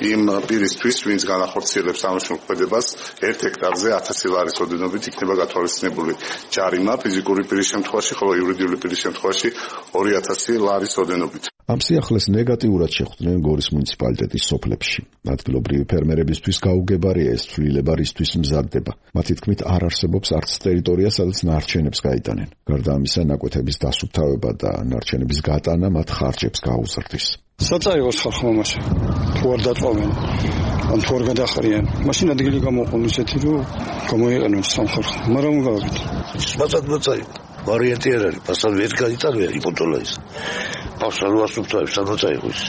იმ პირისთვის, ვინც განახორციელებს ამ მოქმედებას ერთ ჰექტარზე ათასი ლარის ოდენობით იქნება გათვალისწინებული ჯარიმა ფიზიკური პირის შემთხვევაში, ხოლო იურიდიული პირის შემთხვევაში ორი ათასი ლარის ოდენობით. ამ სიახლეს ნეგატიურად შეხვდნენ გორის მუნიციპალიტეტის სოფლებში. ადგილობრივი ფერმერებისთვის გაუგებარია ეს ცვლილება, რისთვის მზადდება. მათი თქმით, არ არსებობს არც ტერიტორია, სადაც ნარჩენებს გაიტანენ. გარდა ამისა, ნაკვეთების დასუფთავება და ნარჩენების გატანა მათ ხარჯებს გაუზრდის. საწაიღოს ხალხმა მასე თუ არ დაწვავენ ან თუ არ გადახარიან, მაშინ ადგილი გამოყონ ისეთი, რომ გამოიყენონ სამხარხო. მაგრამ გავაკეთე. სპაცად მოწაიღო. ვარიანტი არ არის, პასალ ვერ გაიტანია იპოტოლა ის. პასალ ასუფთავებს სადმოწაიღო ის.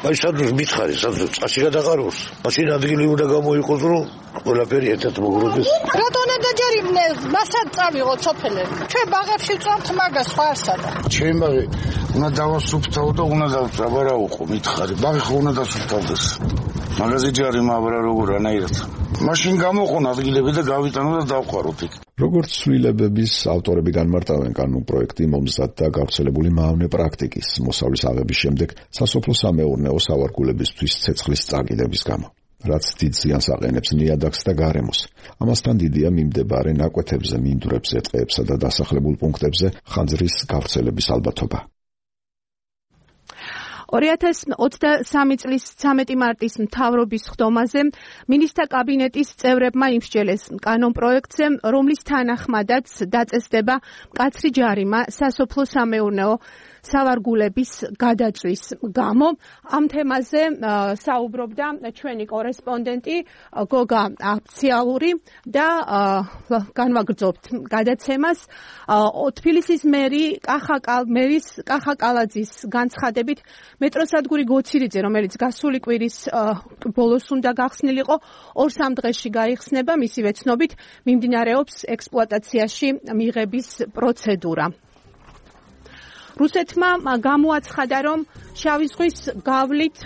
აი სადღაც მითხარი, სადღაც წაში გადაყაროს. მაშინ ადგილი უნდა გამოიყოს, რომ ყველაფერი ერთად მოგროვდეს. რატონა დაჯერიმნე, მასაც წავიღოთ სოფელები. ჩვენ ბაღებში ვწამთ მაგას სხვა არსადა. ჩვენ ბაღი უნდა დავასუფთავო და უნდა დავწაბარაუყო, მითხარი. ბაღი ხო უნდა დასუფთავდეს. მაგაზე ჯარიმა აბრა როგორ ანაირად. მაშინ გამოყონ ადგილები და გავიტანო და დავყაროთ იქ. როგორც ცვლილებების ავტორები განმარტავენ, კანონპროექტი მომზადდა გავრცელებული მავნე პრაქტიკის მოსავლის აღების შემდეგ სასოფლო-სამეურნეო სავარგულებისთვის ცეცხლის წაკიდების გამო, რაც დიდ ზიანს აყენებს ნიადაგს და გარემოს. ამასთან დიდია მიმდებარე ნაკვეთებზე, მინდვრებზე, ტყეებსა და დასახლებულ პუნქტებზე ხანძრის გავრცელების ალბათობა. ორი ათას ოცდასამი წლის ცამეტი მარტის მთავრობის ხდომაზე მინისტრთა კაბინეტის წევრებმა იმსჯელეს კანონპროექტზე, რომლის თანახმადაც დაწესდება მკაცრი ჯარიმა სასოფლო-სამეურნეო სავარგულების გადაწვის გამო. ამ თემაზე საუბრობდა ჩვენი კორესპონდენტი გოგა აბციაური და განვაგრძობთ გადაცემას. თბილისის მერი მერის კახა კალაძის განცხადებით, მეტროსადგური გოცირიძე, რომელიც გასული კვირის ბოლოს უნდა გახსნილიყო, ორ-სამ დღეში გაიხსნება, მისივე ცნობით მიმდინარეობს ექსპლუატაციაში მიღების პროცედურა. რუსეთმა გამოაცხადა, რომ შავი ზღვის გავლით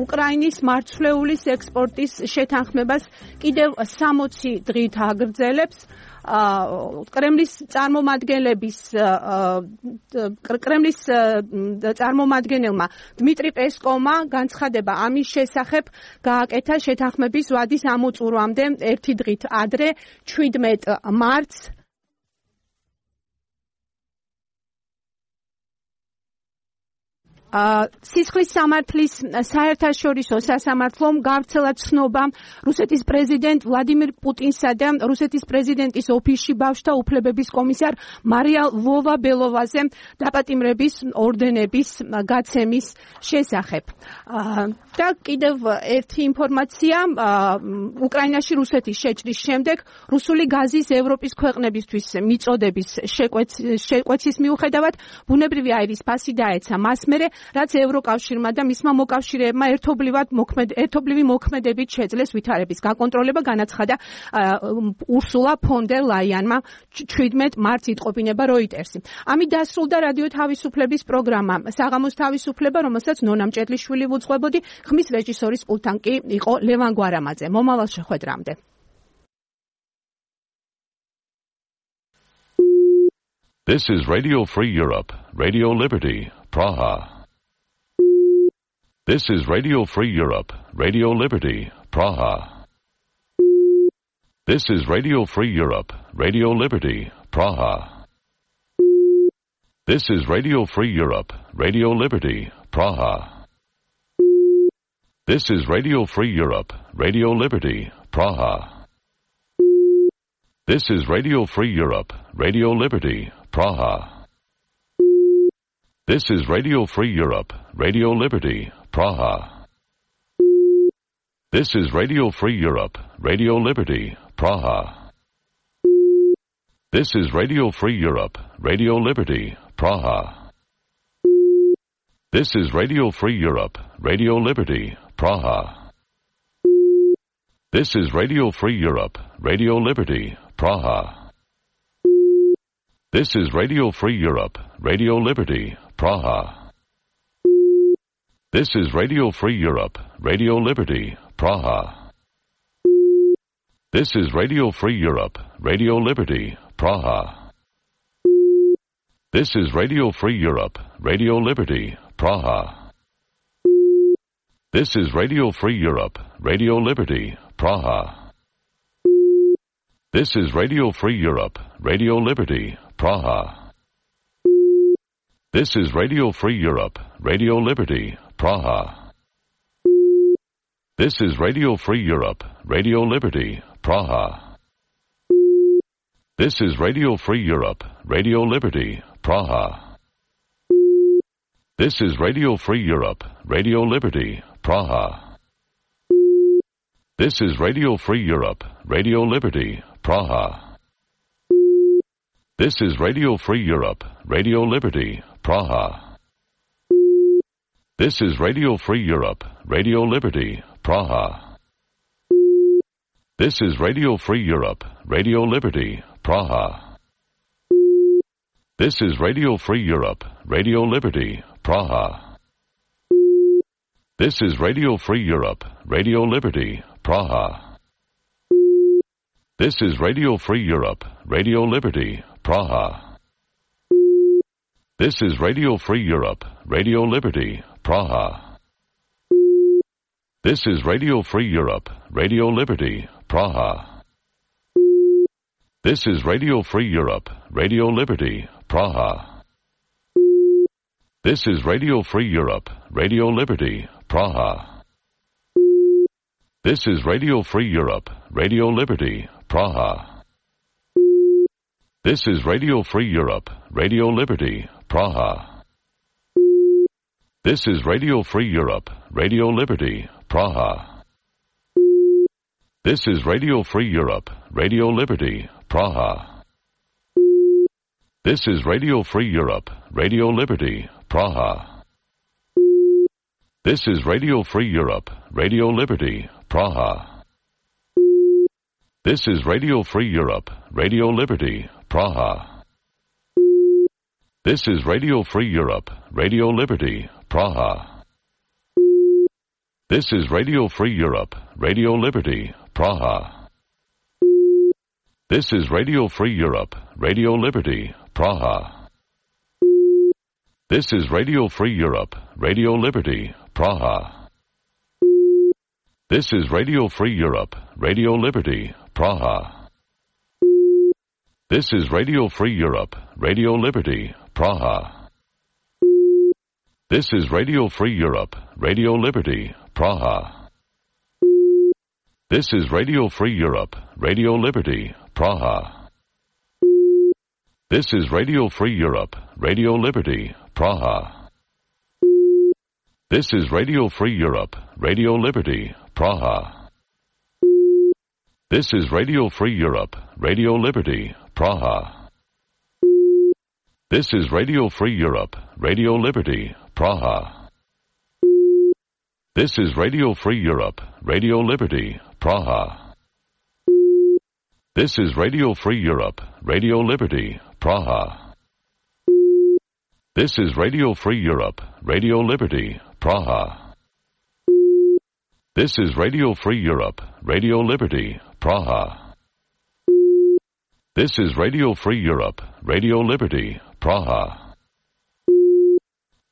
უკრაინის მარცვლეულის ექსპორტის შეთანხმებას კიდევ სამოცი დღით აგრძელებს. კრემლის წარმომადგენლების კრემლის წარმომადგენელმა დმიტრი პესკოვმა განცხადება ამის შესახებ გააკეთა შეთანხმების ვადის ამოწურვამდე ერთი დღით ადრე, შვიდმეტ მარტს. სისხლის სამართლის საერთაშორისო სასამართლომ გავრცელა ცნობა რუსეთის პრეზიდენტ ვლადიმირ პუტინსა და რუსეთის პრეზიდენტის ოფისში ბავშვთა უფლებების კომისარ მარია ლვოვა-ბელოვაზე დაპატიმრების ორდენების გაცემის შესახებ. და კიდევ ერთი ინფორმაცია, უკრაინაში რუსეთის შეჭრის შემდეგ რუსული გაზის ევროპის ქვეყნებისთვის მიწოდების შეკვეცის მიუხედავად ბუნებრივი აირის ფასი დაეცა მას მერე, რაც ევროკავშირმა და მისმა მოკავშირეებმა ერთობლივად ერთობლივი მოქმედებით შეძლეს ვითარების გაკონტროლება, განაცხადა ურსულა ფონ დერ ლაიანმა შვიდმეტ მარტს იტყობინება როიტერსი. ამით დასრულდა რადიო თავისუფლების პროგრამა საღამოს თავისუფლება, რომელსაც ნონა მჭედლიშვილი უძღვებოდი, ხმის რეჟისორის პულტთან კი იყო ლევან გვარამაძე. მომავალ შეხვედრამდე. This is Radio Free Europe, Radio Liberty, Praha. This is Radio Free Europe, Radio Liberty, Praha. This is Radio Free Europe, Radio Liberty, Praha. This is Radio Free Europe, Radio Liberty, Praha. This is Radio Free Europe, Radio Liberty, Praha. This is Radio Free Europe, Radio Liberty, Praha. This is Radio Free Europe, Radio Liberty, Praha. This is Radio Free Europe, Radio Liberty, Praha. This is Radio Free Europe, Radio Liberty, Praha. This is Radio Free Europe, Radio Liberty, Praha. This is Radio Free Europe, Radio Liberty, Praha. This is Radio Free Europe, Radio Liberty, Praha. This is Radio Free Europe, Radio Liberty, Praha. This is Radio Free Europe, Radio Liberty, Praha. This is Radio Free Europe, Radio Liberty, Praha. This is Radio Free Europe, Radio Liberty, Praha. This is Radio Free Europe, Radio Liberty, Praha. This is Radio Free Europe, Radio Liberty, Praha. This is Radio Free Europe, Radio Liberty, Praha. This is Radio Free Europe, Radio Liberty, Praha. This is Radio Free Europe, Radio Liberty, Praha. This is Radio Free Europe, Radio Liberty, Praha. This is Radio Free Europe, Radio Liberty, Praha. This is Radio Free Europe, Radio Liberty, Praha. This is Radio Free Europe, Radio Liberty, Praha. This is Radio Free Europe, Radio Liberty, Praha. This is Radio Free Europe, Radio Liberty, Praha. This is Radio Free Europe, Radio Liberty, Praha. This is Radio Free Europe, Radio Liberty, Praha. This is Radio Free Europe, Radio Liberty, Praha. This is Radio Free Europe, Radio Liberty, Praha. This is Radio Free Europe, Radio Liberty, Praha. This is Radio Free Europe, Radio Liberty, Praha. This is Radio Free Europe, Radio Liberty, Praha. This is Radio Free Europe, Radio Liberty, Praha. This is Radio Free Europe, Radio Liberty, Praha. This is Radio Free Europe, Radio Liberty, Praha. This is Radio Free Europe, Radio Liberty, Praha. This is Radio Free Europe, Radio Liberty, Praha. This is Radio Free Europe, Radio Liberty, Praha. This is Radio Free Europe, Radio Liberty, Praha. This is Radio Free Europe, Radio Liberty, Praha. This is Radio Free Europe, Radio Liberty, Praha. This is Radio Free Europe, Radio Liberty, Praha. This is Radio Free Europe, Radio Liberty, Praha. This is Radio Free Europe, Radio Liberty, Praha. This is Radio Free Europe, Radio Liberty, Praha. This is Radio Free Europe, Radio Liberty, Praha. This is Radio Free Europe, Radio Liberty, Praha. This is Radio Free Europe, Radio Liberty, Praha. This is Radio Free Europe, Radio Liberty, Praha. This is Radio Free Europe, Radio Liberty, Praha. This is Radio Free Europe, Radio Liberty, Praha. This is Radio Free Europe, Radio Liberty, Praha. This is Radio Free Europe, Radio Liberty, Praha. This is Radio Free Europe, Radio Liberty, Praha.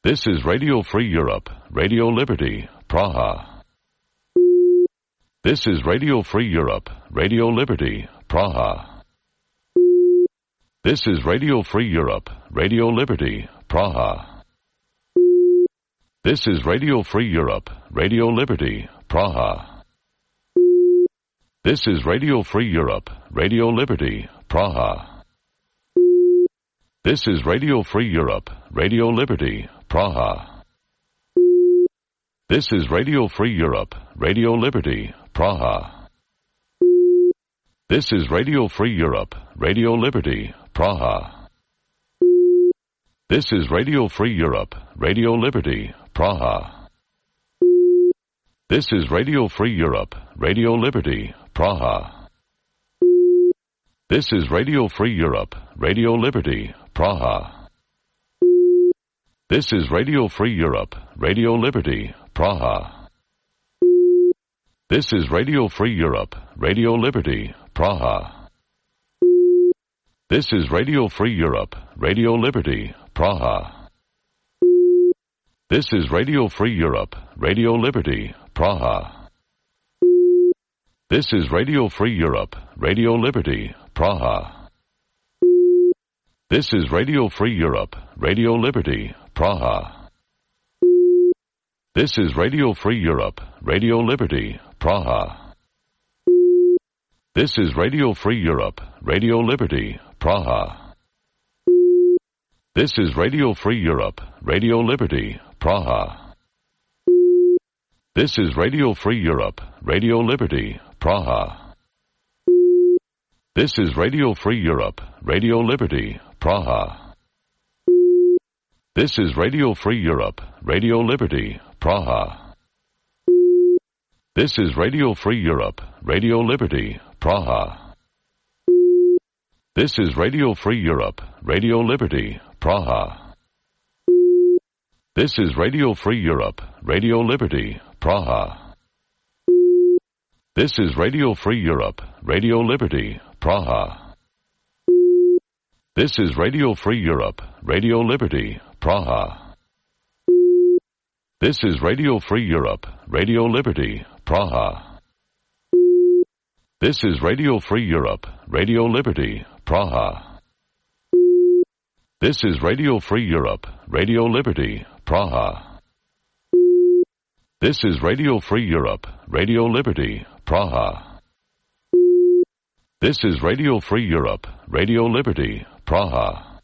This is Radio Free Europe, Radio Liberty, Praha. This is Radio Free Europe, Radio Liberty, Praha. This is Radio Free Europe, Radio Liberty, Praha. This is Radio Free Europe, Radio Liberty, Praha. This is Radio Free Europe, Radio Liberty, Praha. This is Radio Free Europe, Radio Liberty, Praha. This is Radio Free Europe, Radio Liberty, Praha. This is Radio Free Europe, Radio Liberty, Praha. This is Radio Free Europe, Radio Liberty, Praha. This is Radio Free Europe, Radio Liberty, Praha. This is Radio Free Europe, Radio Liberty, Praha. This is Radio Free Europe, Radio Liberty, Praha. This is Radio Free Europe, Radio Liberty, Praha. This is Radio Free Europe, Radio Liberty, Praha. This is Radio Free Europe, Radio Liberty, Praha. This is Radio Free Europe, Radio Liberty, Praha. This is Radio Free Europe, Radio Liberty, Praha. This is Radio Free Europe, Radio Liberty, Praha. This is Radio Free Europe, Radio Liberty, Praha. This is Radio Free Europe, Radio Liberty, Praha. This is Radio Free Europe, Radio Liberty, Praha. This is Radio Free Europe, Radio Liberty, Praha. This is Radio Free Europe, Radio Liberty, Praha. This is Radio Free Europe, Radio Liberty, Praha. This is Radio Free Europe, Radio Liberty, Praha. This is Radio Free Europe, Radio Liberty, Praha. This is Radio Free Europe, Radio Liberty, Praha. This is Radio Free Europe, Radio Liberty, Praha. This is Radio Free Europe, Radio Liberty, Praha. This is Radio Free Europe, Radio Liberty, Praha. This is Radio Free Europe, Radio Liberty, Praha. This is Radio Free Europe, Radio Liberty, Praha. This is Radio Free Europe, Radio Liberty, Praha.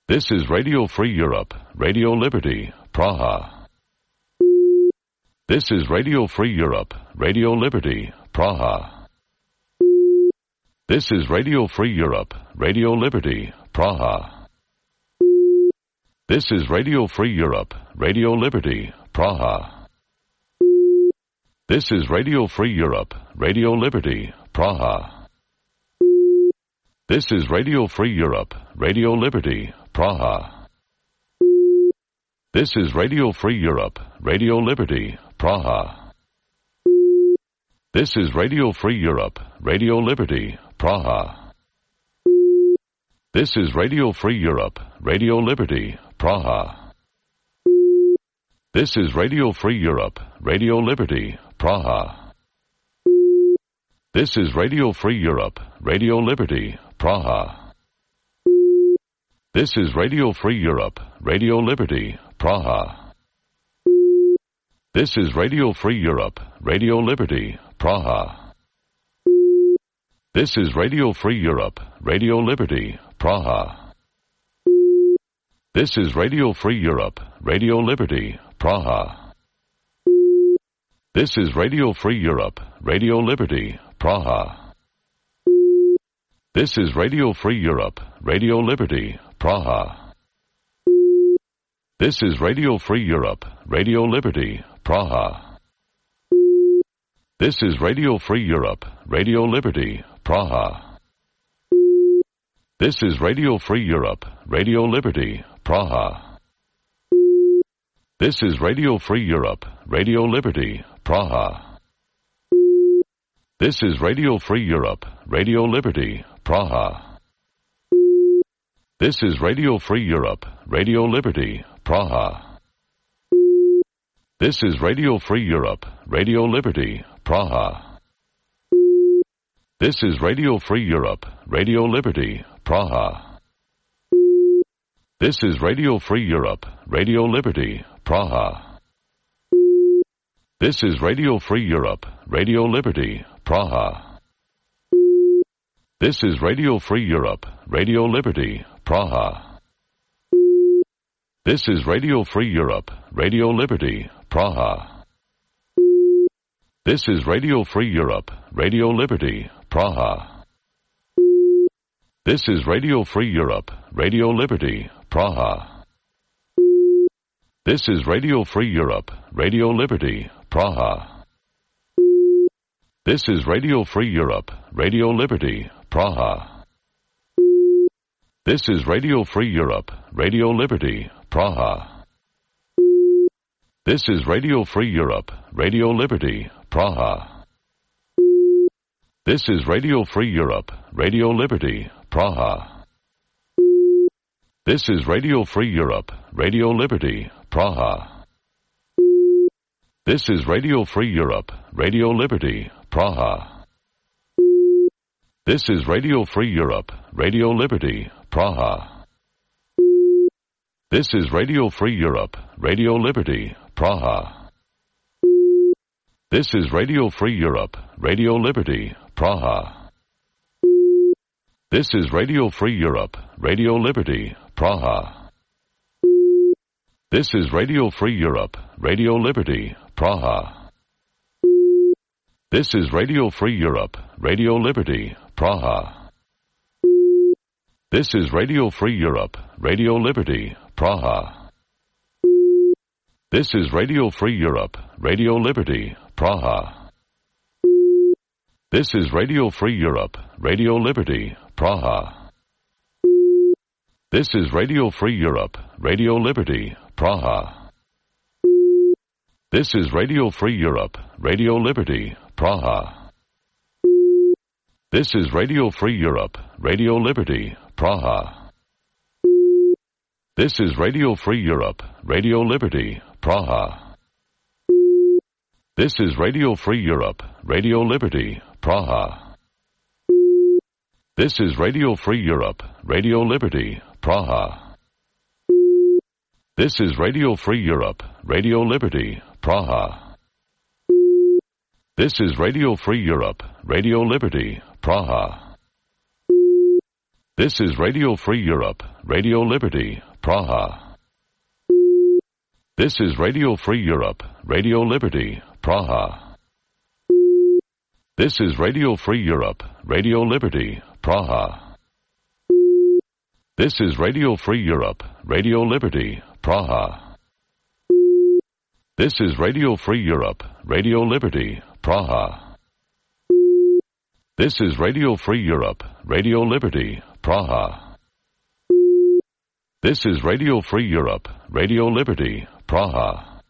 This is Radio Free Europe, Radio Liberty, Praha. This is Radio Free Europe, Radio Liberty, Praha. This is Radio Free Europe, Radio Liberty, Praha. This is Radio Free Europe, Radio Liberty, Praha. This is Radio Free Europe, Radio Liberty, Praha. This is Radio Free Europe, Radio Liberty, Praha. This is Radio Free Europe, Radio Liberty, Praha. This is Radio Free Europe, Radio Liberty, Praha. This is Radio Free Europe, Radio Liberty, Praha. This is Radio Free Europe, Radio Liberty, Praha. This is Radio Free Europe, Radio Liberty, Praha. This is Radio Free Europe, Radio Liberty, Praha. This is Radio Free Europe, Radio Liberty, Praha. This is Radio Free Europe, Radio Liberty, Praha. This is Radio Free Europe, Radio Liberty, Praha. This is Radio Free Europe, Radio Liberty, Praha. This is Radio Free Europe, Radio Liberty, Praha. This is Radio Free Europe, Radio Liberty, Praha. This is Radio Free Europe, Radio Liberty, Praha. This is Radio Free Europe, Radio Liberty, Praha. This is Radio Free Europe, Radio Liberty, Praha. This is Radio Free Europe, Radio Liberty, Praha. This is Radio Free Europe, Radio Liberty, Praha. This is Radio Free Europe, Radio Liberty, Praha. This is Radio Free Europe, Radio Liberty, Praha. This is Radio Free Europe, Radio Liberty, Praha. This is Radio Free Europe, Radio Liberty, Praha. This is Radio Free Europe, Radio Liberty, Praha. This is Radio Free Europe, Radio Liberty, Praha. This is Radio Free Europe, Radio Liberty, Praha. This is Radio Free Europe, Radio Liberty, Praha. This is Radio Free Europe, Radio Liberty, Praha. This is Radio Free Europe, Radio Liberty, Praha. This is Radio Free Europe, Radio Liberty, Praha. This is Radio Free Europe, Radio Liberty, Praha. This is Radio Free Europe, Radio Liberty, Praha. This is Radio Free Europe, Radio Liberty, Praha. This is Radio Free Europe, Radio Liberty, Praha. This is Radio Free Europe, Radio Liberty, Praha. This is Radio Free Europe, Radio Liberty, Praha. This is Radio Free Europe, Radio Liberty, Praha. This is Radio Free Europe, Radio Liberty, Praha. This is Radio Free Europe, Radio Liberty, Praha. This is Radio Free Europe, Radio Liberty, Praha. This is Radio Free Europe, Radio Liberty, Praha. This is Radio Free Europe, Radio Liberty, Praha. This is Radio Free Europe, Radio Liberty, Praha. This is Radio Free Europe, Radio Liberty, Praha. This is Radio Free Europe, Radio Liberty, Praha. This is Radio Free Europe, Radio Liberty, Praha. This is Radio Free Europe, Radio Liberty, Praha. This is Radio Free Europe, Radio Liberty, Praha. This is Radio Free Europe, Radio Liberty, Praha. This is Radio Free Europe, Radio Liberty, Praha. This is Radio Free Europe, Radio Liberty, Praha. This is Radio Free Europe, Radio Liberty, Praha. This is Radio Free Europe, Radio Liberty, Praha. This is Radio Free Europe, Radio Liberty, Praha. This is Radio Free Europe, Radio Liberty, Praha. This is Radio Free Europe, Radio Liberty, Praha. This is Radio Free Europe, Radio Liberty, Praha. This is Radio Free Europe, Radio Liberty, Praha.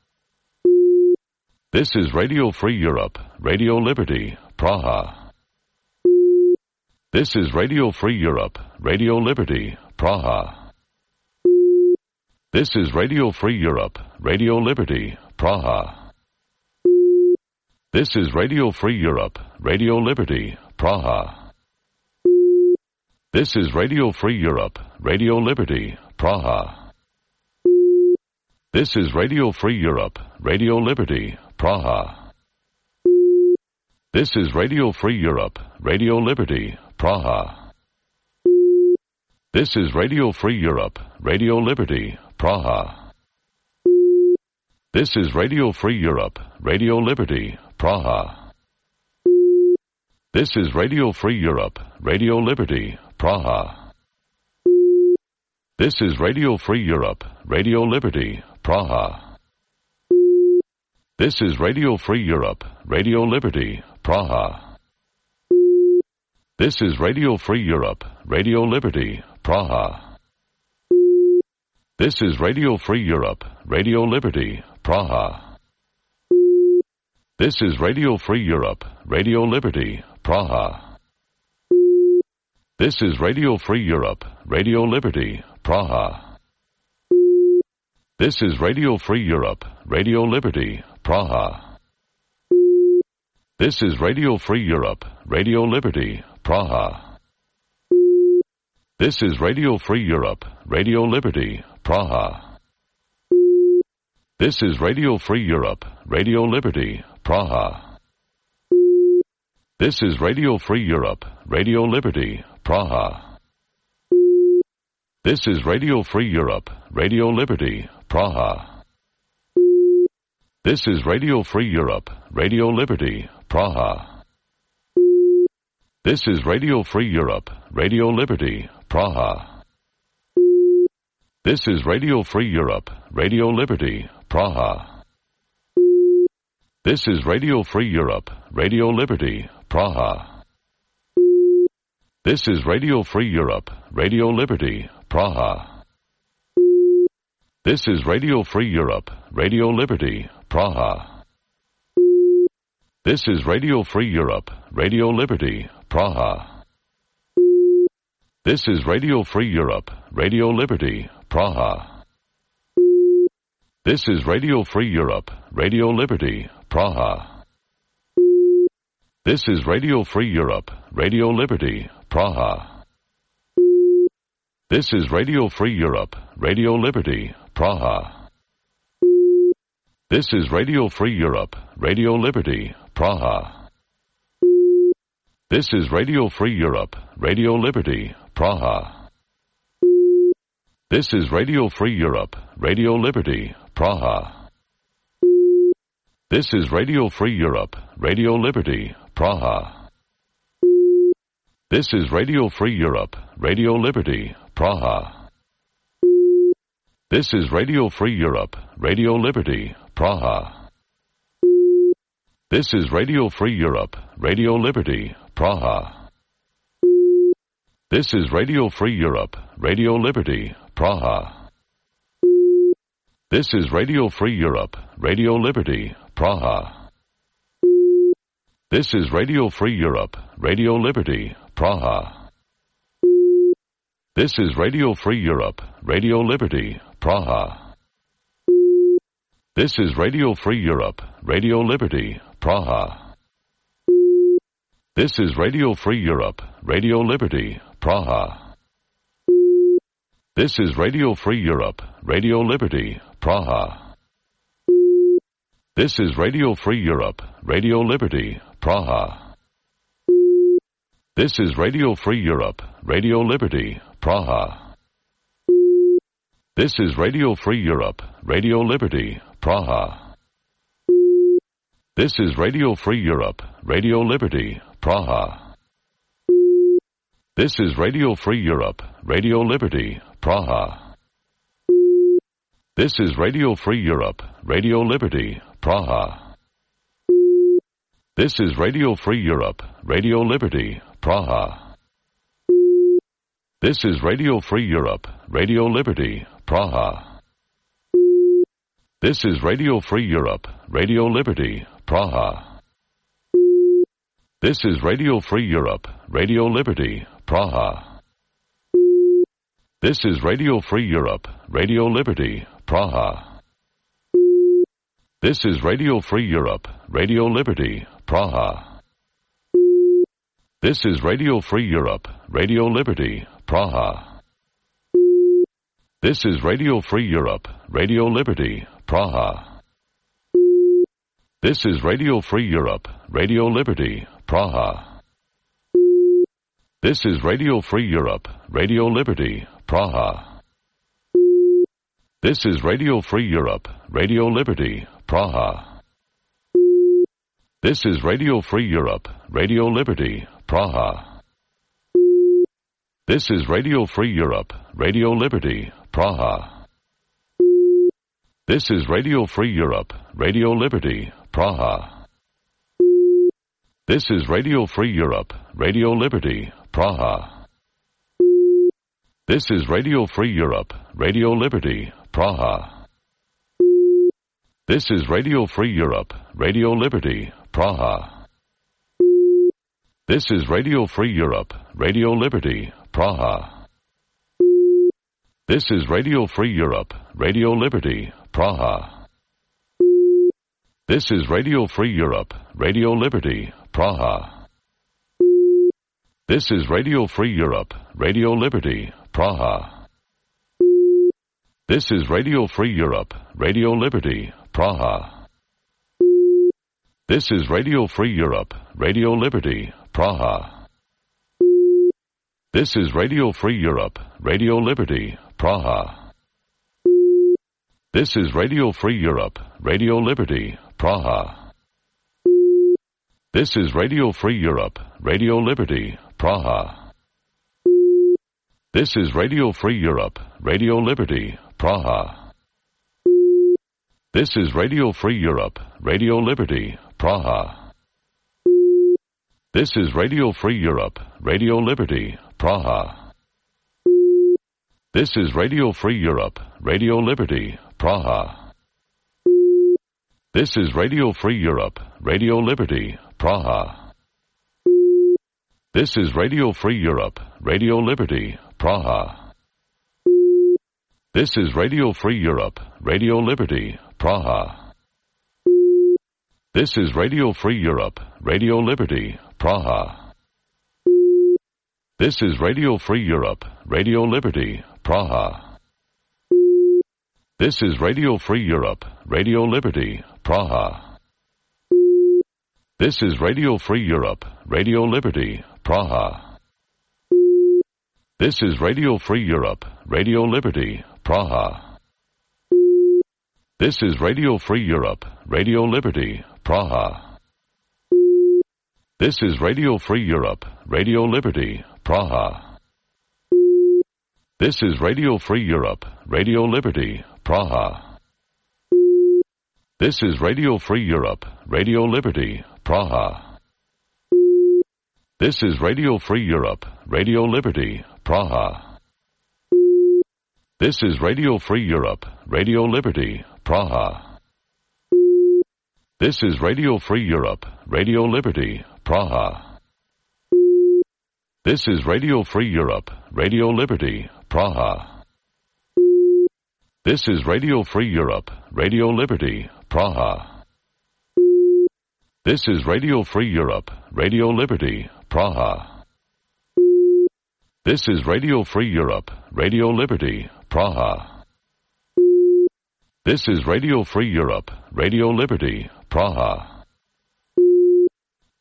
This is Radio Free Europe, Radio Liberty, Praha. This is Radio Free Europe, Radio Liberty, Praha. This is Radio Free Europe, Radio Liberty, Praha. This is Radio Free Europe, Radio Liberty, Praha. This is Radio Free Europe, Radio Liberty, Praha. This is Radio Free Europe, Radio Liberty, Praha. This is Radio Free Europe, Radio Liberty, Praha. This is Radio Free Europe, Radio Liberty, Praha. This is Radio Free Europe, Radio Liberty, Praha. This is Radio Free Europe, Radio Liberty, Praha. This is Radio Free Europe, Radio Liberty, Praha. This is Radio Free Europe, Radio Liberty, Praha. This is Radio Free Europe, Radio Liberty, Praha. This is Radio Free Europe, Radio Liberty, Praha. This is Radio Free Europe, Radio Liberty, Praha. This is Radio Free Europe, Radio Liberty, Praha. This is Radio Free Europe, Radio Liberty, Praha. This is Radio Free Europe, Radio Liberty, Praha. This is Radio Free Europe, Radio Liberty, Praha. This is Radio Free Europe, Radio Liberty, Praha. This is Radio Free Europe, Radio Liberty, Praha. This is Radio Free Europe, Radio Liberty, Praha. This is Radio Free Europe, Radio Liberty, Praha. This is Radio Free Europe, Radio Liberty, Praha. This is Radio Free Europe, Radio Liberty, Praha. This is Radio Free Europe, Radio Liberty, Praha. This is Radio Free Europe, Radio Liberty, Praha. This is Radio Free Europe, Radio Liberty, Praha. This is Radio Free Europe, Radio Liberty, Praha. This is Radio Free Europe, Radio Liberty, Praha. This is Radio Free Europe, Radio Liberty, Praha. This is Radio Free Europe, Radio Liberty, Praha. This is Radio Free Europe, Radio Liberty, Praha. This is Radio Free Europe, Radio Liberty, Praha. This is Radio Free Europe, Radio Liberty, Praha. This is Radio Free Europe, Radio Liberty, Praha. This is Radio Free Europe, Radio Liberty, Praha. This is Radio Free Europe, Radio Liberty, Praha. This is Radio Free Europe, Radio Liberty, Praha. This is Radio Free Europe, Radio Liberty, Praha. This is Radio Free Europe, Radio Liberty, Praha. This is Radio Free Europe, Radio Liberty, Praha. This is Radio Free Europe, Radio Liberty, Praha. This is Radio Free Europe, Radio Liberty, Praha. This is Radio Free Europe, Radio Liberty, Praha. This is Radio Free Europe, Radio Liberty, Praha. This is Radio Free Europe, Radio Liberty, Praha. This is Radio Free Europe, Radio Liberty, Praha. This is Radio Free Europe, Radio Liberty, Praha. This is Radio Free Europe, Radio Liberty, Praha. This is Radio Free Europe, Radio Liberty, Praha. This is Radio Free Europe, Radio Liberty, Praha. This is Radio Free Europe, Radio Liberty, Praha. This is Radio Free Europe, Radio Liberty, Praha. This is Radio Free Europe, Radio Liberty, Praha. This is Radio Free Europe, Radio Liberty, Praha. This is Radio Free Europe, Radio Liberty, Praha. This is Radio Free Europe, Radio Liberty, Praha. This is Radio Free Europe, Radio Liberty, Praha. This is Radio Free Europe, Radio Liberty, Praha. This is Radio Free Europe, Radio Liberty, Praha. This is Radio Free Europe, Radio Liberty, Praha. This is Radio Free Europe, Radio Liberty, Praha. This is Radio Free Europe, Radio Liberty, Praha. This is Radio Free Europe, Radio Liberty, Praha. This is Radio Free Europe, Radio Liberty, Praha. This is Radio Free Europe, Radio Liberty, Praha. This is Radio Free Europe, Radio Liberty, Praha. This is Radio Free Europe, Radio Liberty, Praha. This is Radio Free Europe, Radio Liberty, Praha. This is Radio Free Europe, Radio Liberty, Praha. This is Radio Free Europe, Radio Liberty, Praha. This is Radio Free Europe, Radio Liberty, Praha. This is Radio Free Europe, Radio Liberty, Praha. This is Radio Free Europe, Radio Liberty, Praha. This is Radio Free Europe, Radio Liberty, Praha. This is Radio Free Europe, Radio Liberty, Praha. This is Radio Free Europe, Radio Liberty, Praha. This is Radio Free Europe, Radio Liberty, Praha. This is Radio Free Europe, Radio Liberty, Praha. This is Radio Free Europe, Radio Liberty, Praha. This is Radio Free Europe, Radio Liberty, Praha. This is Radio Free Europe, Radio Liberty, Praha. This is Radio Free Europe, Radio Liberty, Praha. This is Radio Free Europe, Radio Liberty, Praha. This is Radio Free Europe, Radio Liberty, Praha. This is Radio Free Europe, Radio Liberty, Praha. This is Radio Free Europe, Radio Liberty, Praha. This is Radio Free Europe, Radio Liberty, Praha. This is Radio Free Europe, Radio Liberty, Praha. This is Radio Free Europe, Radio Liberty, Praha. This is Radio Free Europe, Radio Liberty, Praha. This is Radio Free Europe, Radio Liberty, Praha. This is Radio Free Europe, Radio Liberty, Praha. This is Radio Free Europe, Radio Liberty, Praha. This is Radio Free Europe, Radio Liberty, Praha. This is Radio Free Europe, Radio Liberty, Praha. This is Radio Free Europe, Radio Liberty, Praha. This is Radio Free Europe, Radio Liberty, Praha. This is Radio Free Europe, Radio Liberty, Praha. This is Radio Free Europe, Radio Liberty, Praha. This is Radio Free Europe, Radio Liberty, Praha. This is Radio Free Europe, Radio Liberty, Praha.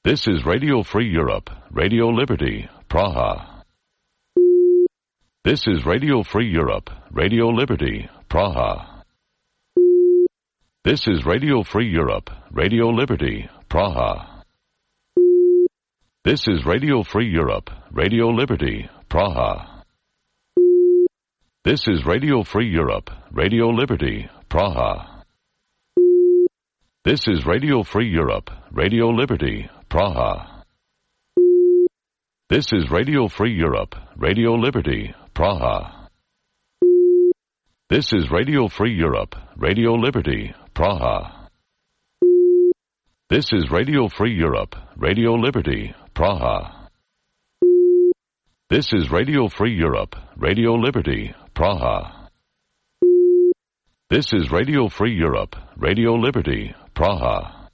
This is Radio Free Europe, Radio Liberty, Praha. This is Radio Free Europe, Radio Liberty, Praha. This is Radio Free Europe, Radio Liberty, Praha. This is Radio Free Europe, Radio Liberty, Praha. This is Radio Free Europe, Radio Liberty, Praha. This is Radio Free Europe, Radio Liberty, Praha. This is Radio Free Europe, Radio Liberty, Praha. This is Radio Free Europe, Radio Liberty, Praha. This is Radio Free Europe, Radio Liberty, Praha. This is Radio Free Europe, Radio Liberty, Praha. This is Radio Free Europe, Radio Liberty, Praha.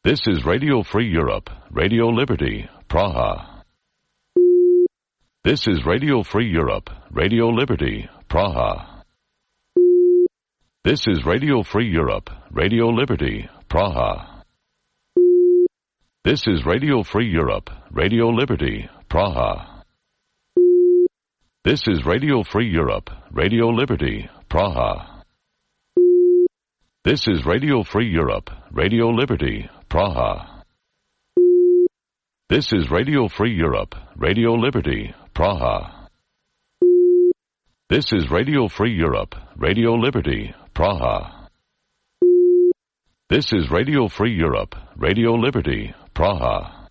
This is Radio Free Europe, Radio Liberty, Praha. This is Radio Free Europe, Radio Liberty, Praha. This is Radio Free Europe, Radio Liberty, Praha. This is Radio Free Europe, Radio Liberty, Praha. This is Radio Free Europe, Radio Liberty, Praha. This is Radio Free Europe, Radio Liberty, Praha. This is Radio Free Europe, Radio Liberty, Praha. This is Radio Free Europe, Radio Liberty, Praha. This is Radio Free Europe, Radio Liberty, Praha.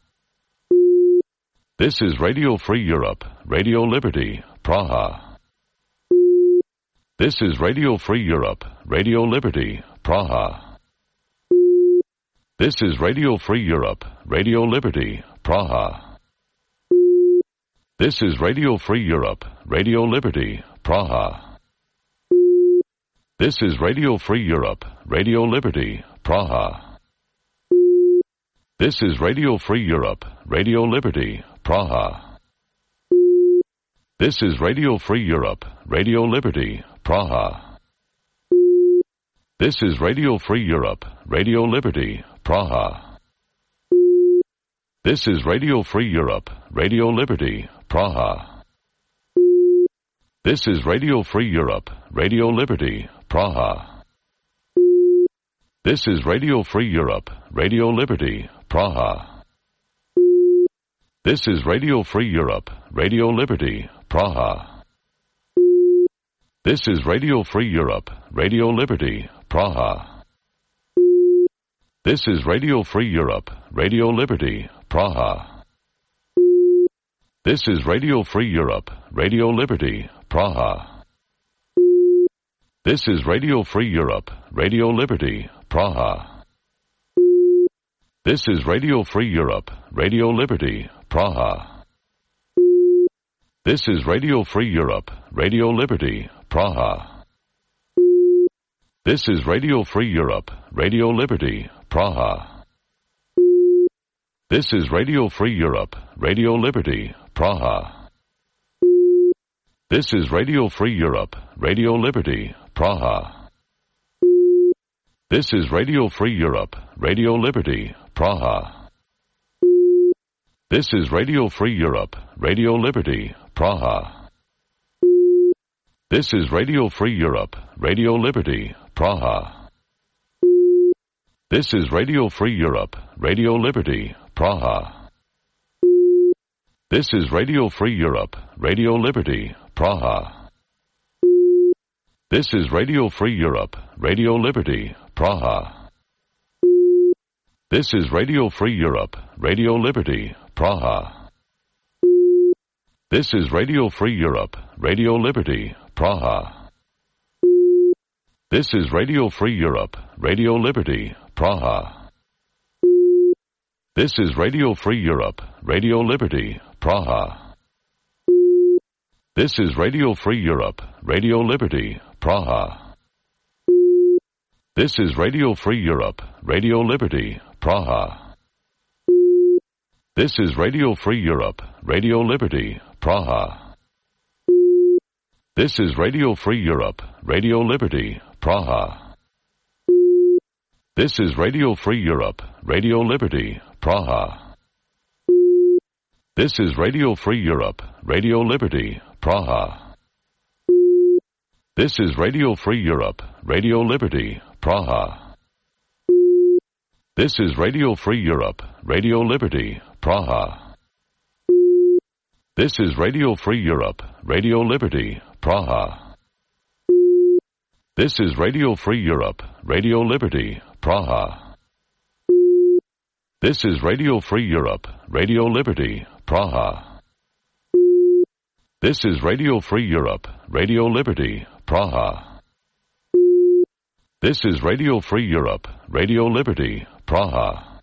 This is Radio Free Europe, Radio Liberty, Praha. This is Radio Free Europe, Radio Liberty, Praha. This is Radio Free Europe, Radio Liberty, Praha. This is Radio Free Europe, Radio Liberty, Praha. This is Radio Free Europe, Radio Liberty, Praha. This is Radio Free Europe, Radio Liberty, Praha. This is Radio Free Europe, Radio Liberty, Praha. This is Radio Free Europe, Radio Liberty, Praha. This is Radio Free Europe, Radio Liberty, Praha. This is Radio Free Europe, Radio Liberty, Praha. This is Radio Free Europe, Radio Liberty, Praha. This is Radio Free Europe, Radio Liberty, Praha. This is Radio Free Europe, Radio Liberty, Praha. This is Radio Free Europe, Radio Liberty, Praha. This is Radio Free Europe, Radio Liberty, Praha. This is Radio Free Europe, Radio Liberty, Praha. This is Radio Free Europe, Radio Liberty, Praha. This is Radio Free Europe, Radio Liberty, Praha. This is Radio Free Europe, Radio Liberty, Praha. This is Radio Free Europe, Radio Liberty, Praha. This is Radio Free Europe, Radio Liberty, Praha. This is Radio Free Europe, Radio Liberty, Praha. This is Radio Free Europe, Radio Liberty, Praha. This is Radio Free Europe, Radio Liberty, Praha. This is Radio Free Europe, Radio Liberty, Praha. This is Radio Free Europe, Radio Liberty, Praha. This is Radio Free Europe, Radio Liberty, Praha. This is Radio Free Europe, Radio Liberty, Praha. This is Radio Free Europe, Radio Liberty, Praha. This is Radio Free Europe, Radio Liberty, Praha. This is Radio Free Europe, Radio Liberty, Praha. This is Radio Free Europe, Radio Liberty, Praha. This is Radio Free Europe, Radio Liberty, Praha. This is Radio Free Europe, Radio Liberty, Praha. This is Radio Free Europe, Radio Liberty, Praha. This is Radio Free Europe, Radio Liberty, Praha. This is Radio Free Europe, Radio Liberty, Praha. This is Radio Free Europe, Radio Liberty, Praha. This is Radio Free Europe, Radio Liberty, Praha. This is Radio Free Europe, Radio Liberty, Praha. This is Radio Free Europe, Radio Liberty, Praha. This is Radio Free Europe, Radio Liberty, Praha. This is Radio Free Europe, Radio Liberty, Praha. This is Radio Free Europe, Radio Liberty, Praha.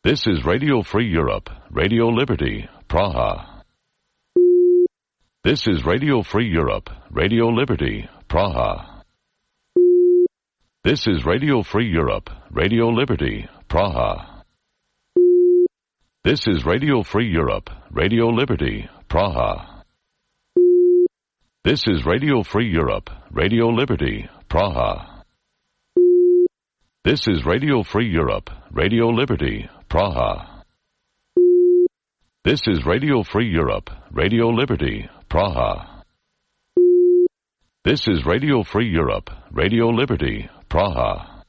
This is Radio Free Europe, Radio Liberty, Praha. This is Radio Free Europe, Radio Liberty, Praha. This is Radio Free Europe, Radio Liberty, Praha. This is Radio Free Europe, Radio Liberty, Praha. This is Radio Free Europe, Radio Liberty, Praha. This is Radio Free Europe, Radio Liberty, Praha. This is Radio Free Europe, Radio Liberty, Praha. This is Radio Free Europe, Radio Liberty, Praha.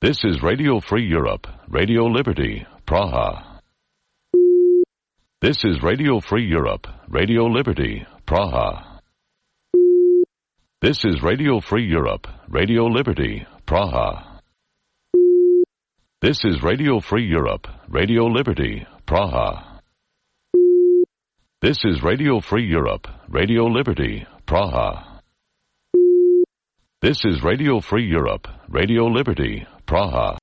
This is Radio Free Europe, Radio Liberty, Praha. This is Radio Free Europe, Radio Liberty, Praha. This is Radio Free Europe, Radio Liberty, Praha. This is Radio Free Europe, Radio Liberty, Praha. This is Radio Free Europe, Radio Liberty, Praha. This is Radio Free Europe, Radio Liberty, Praha.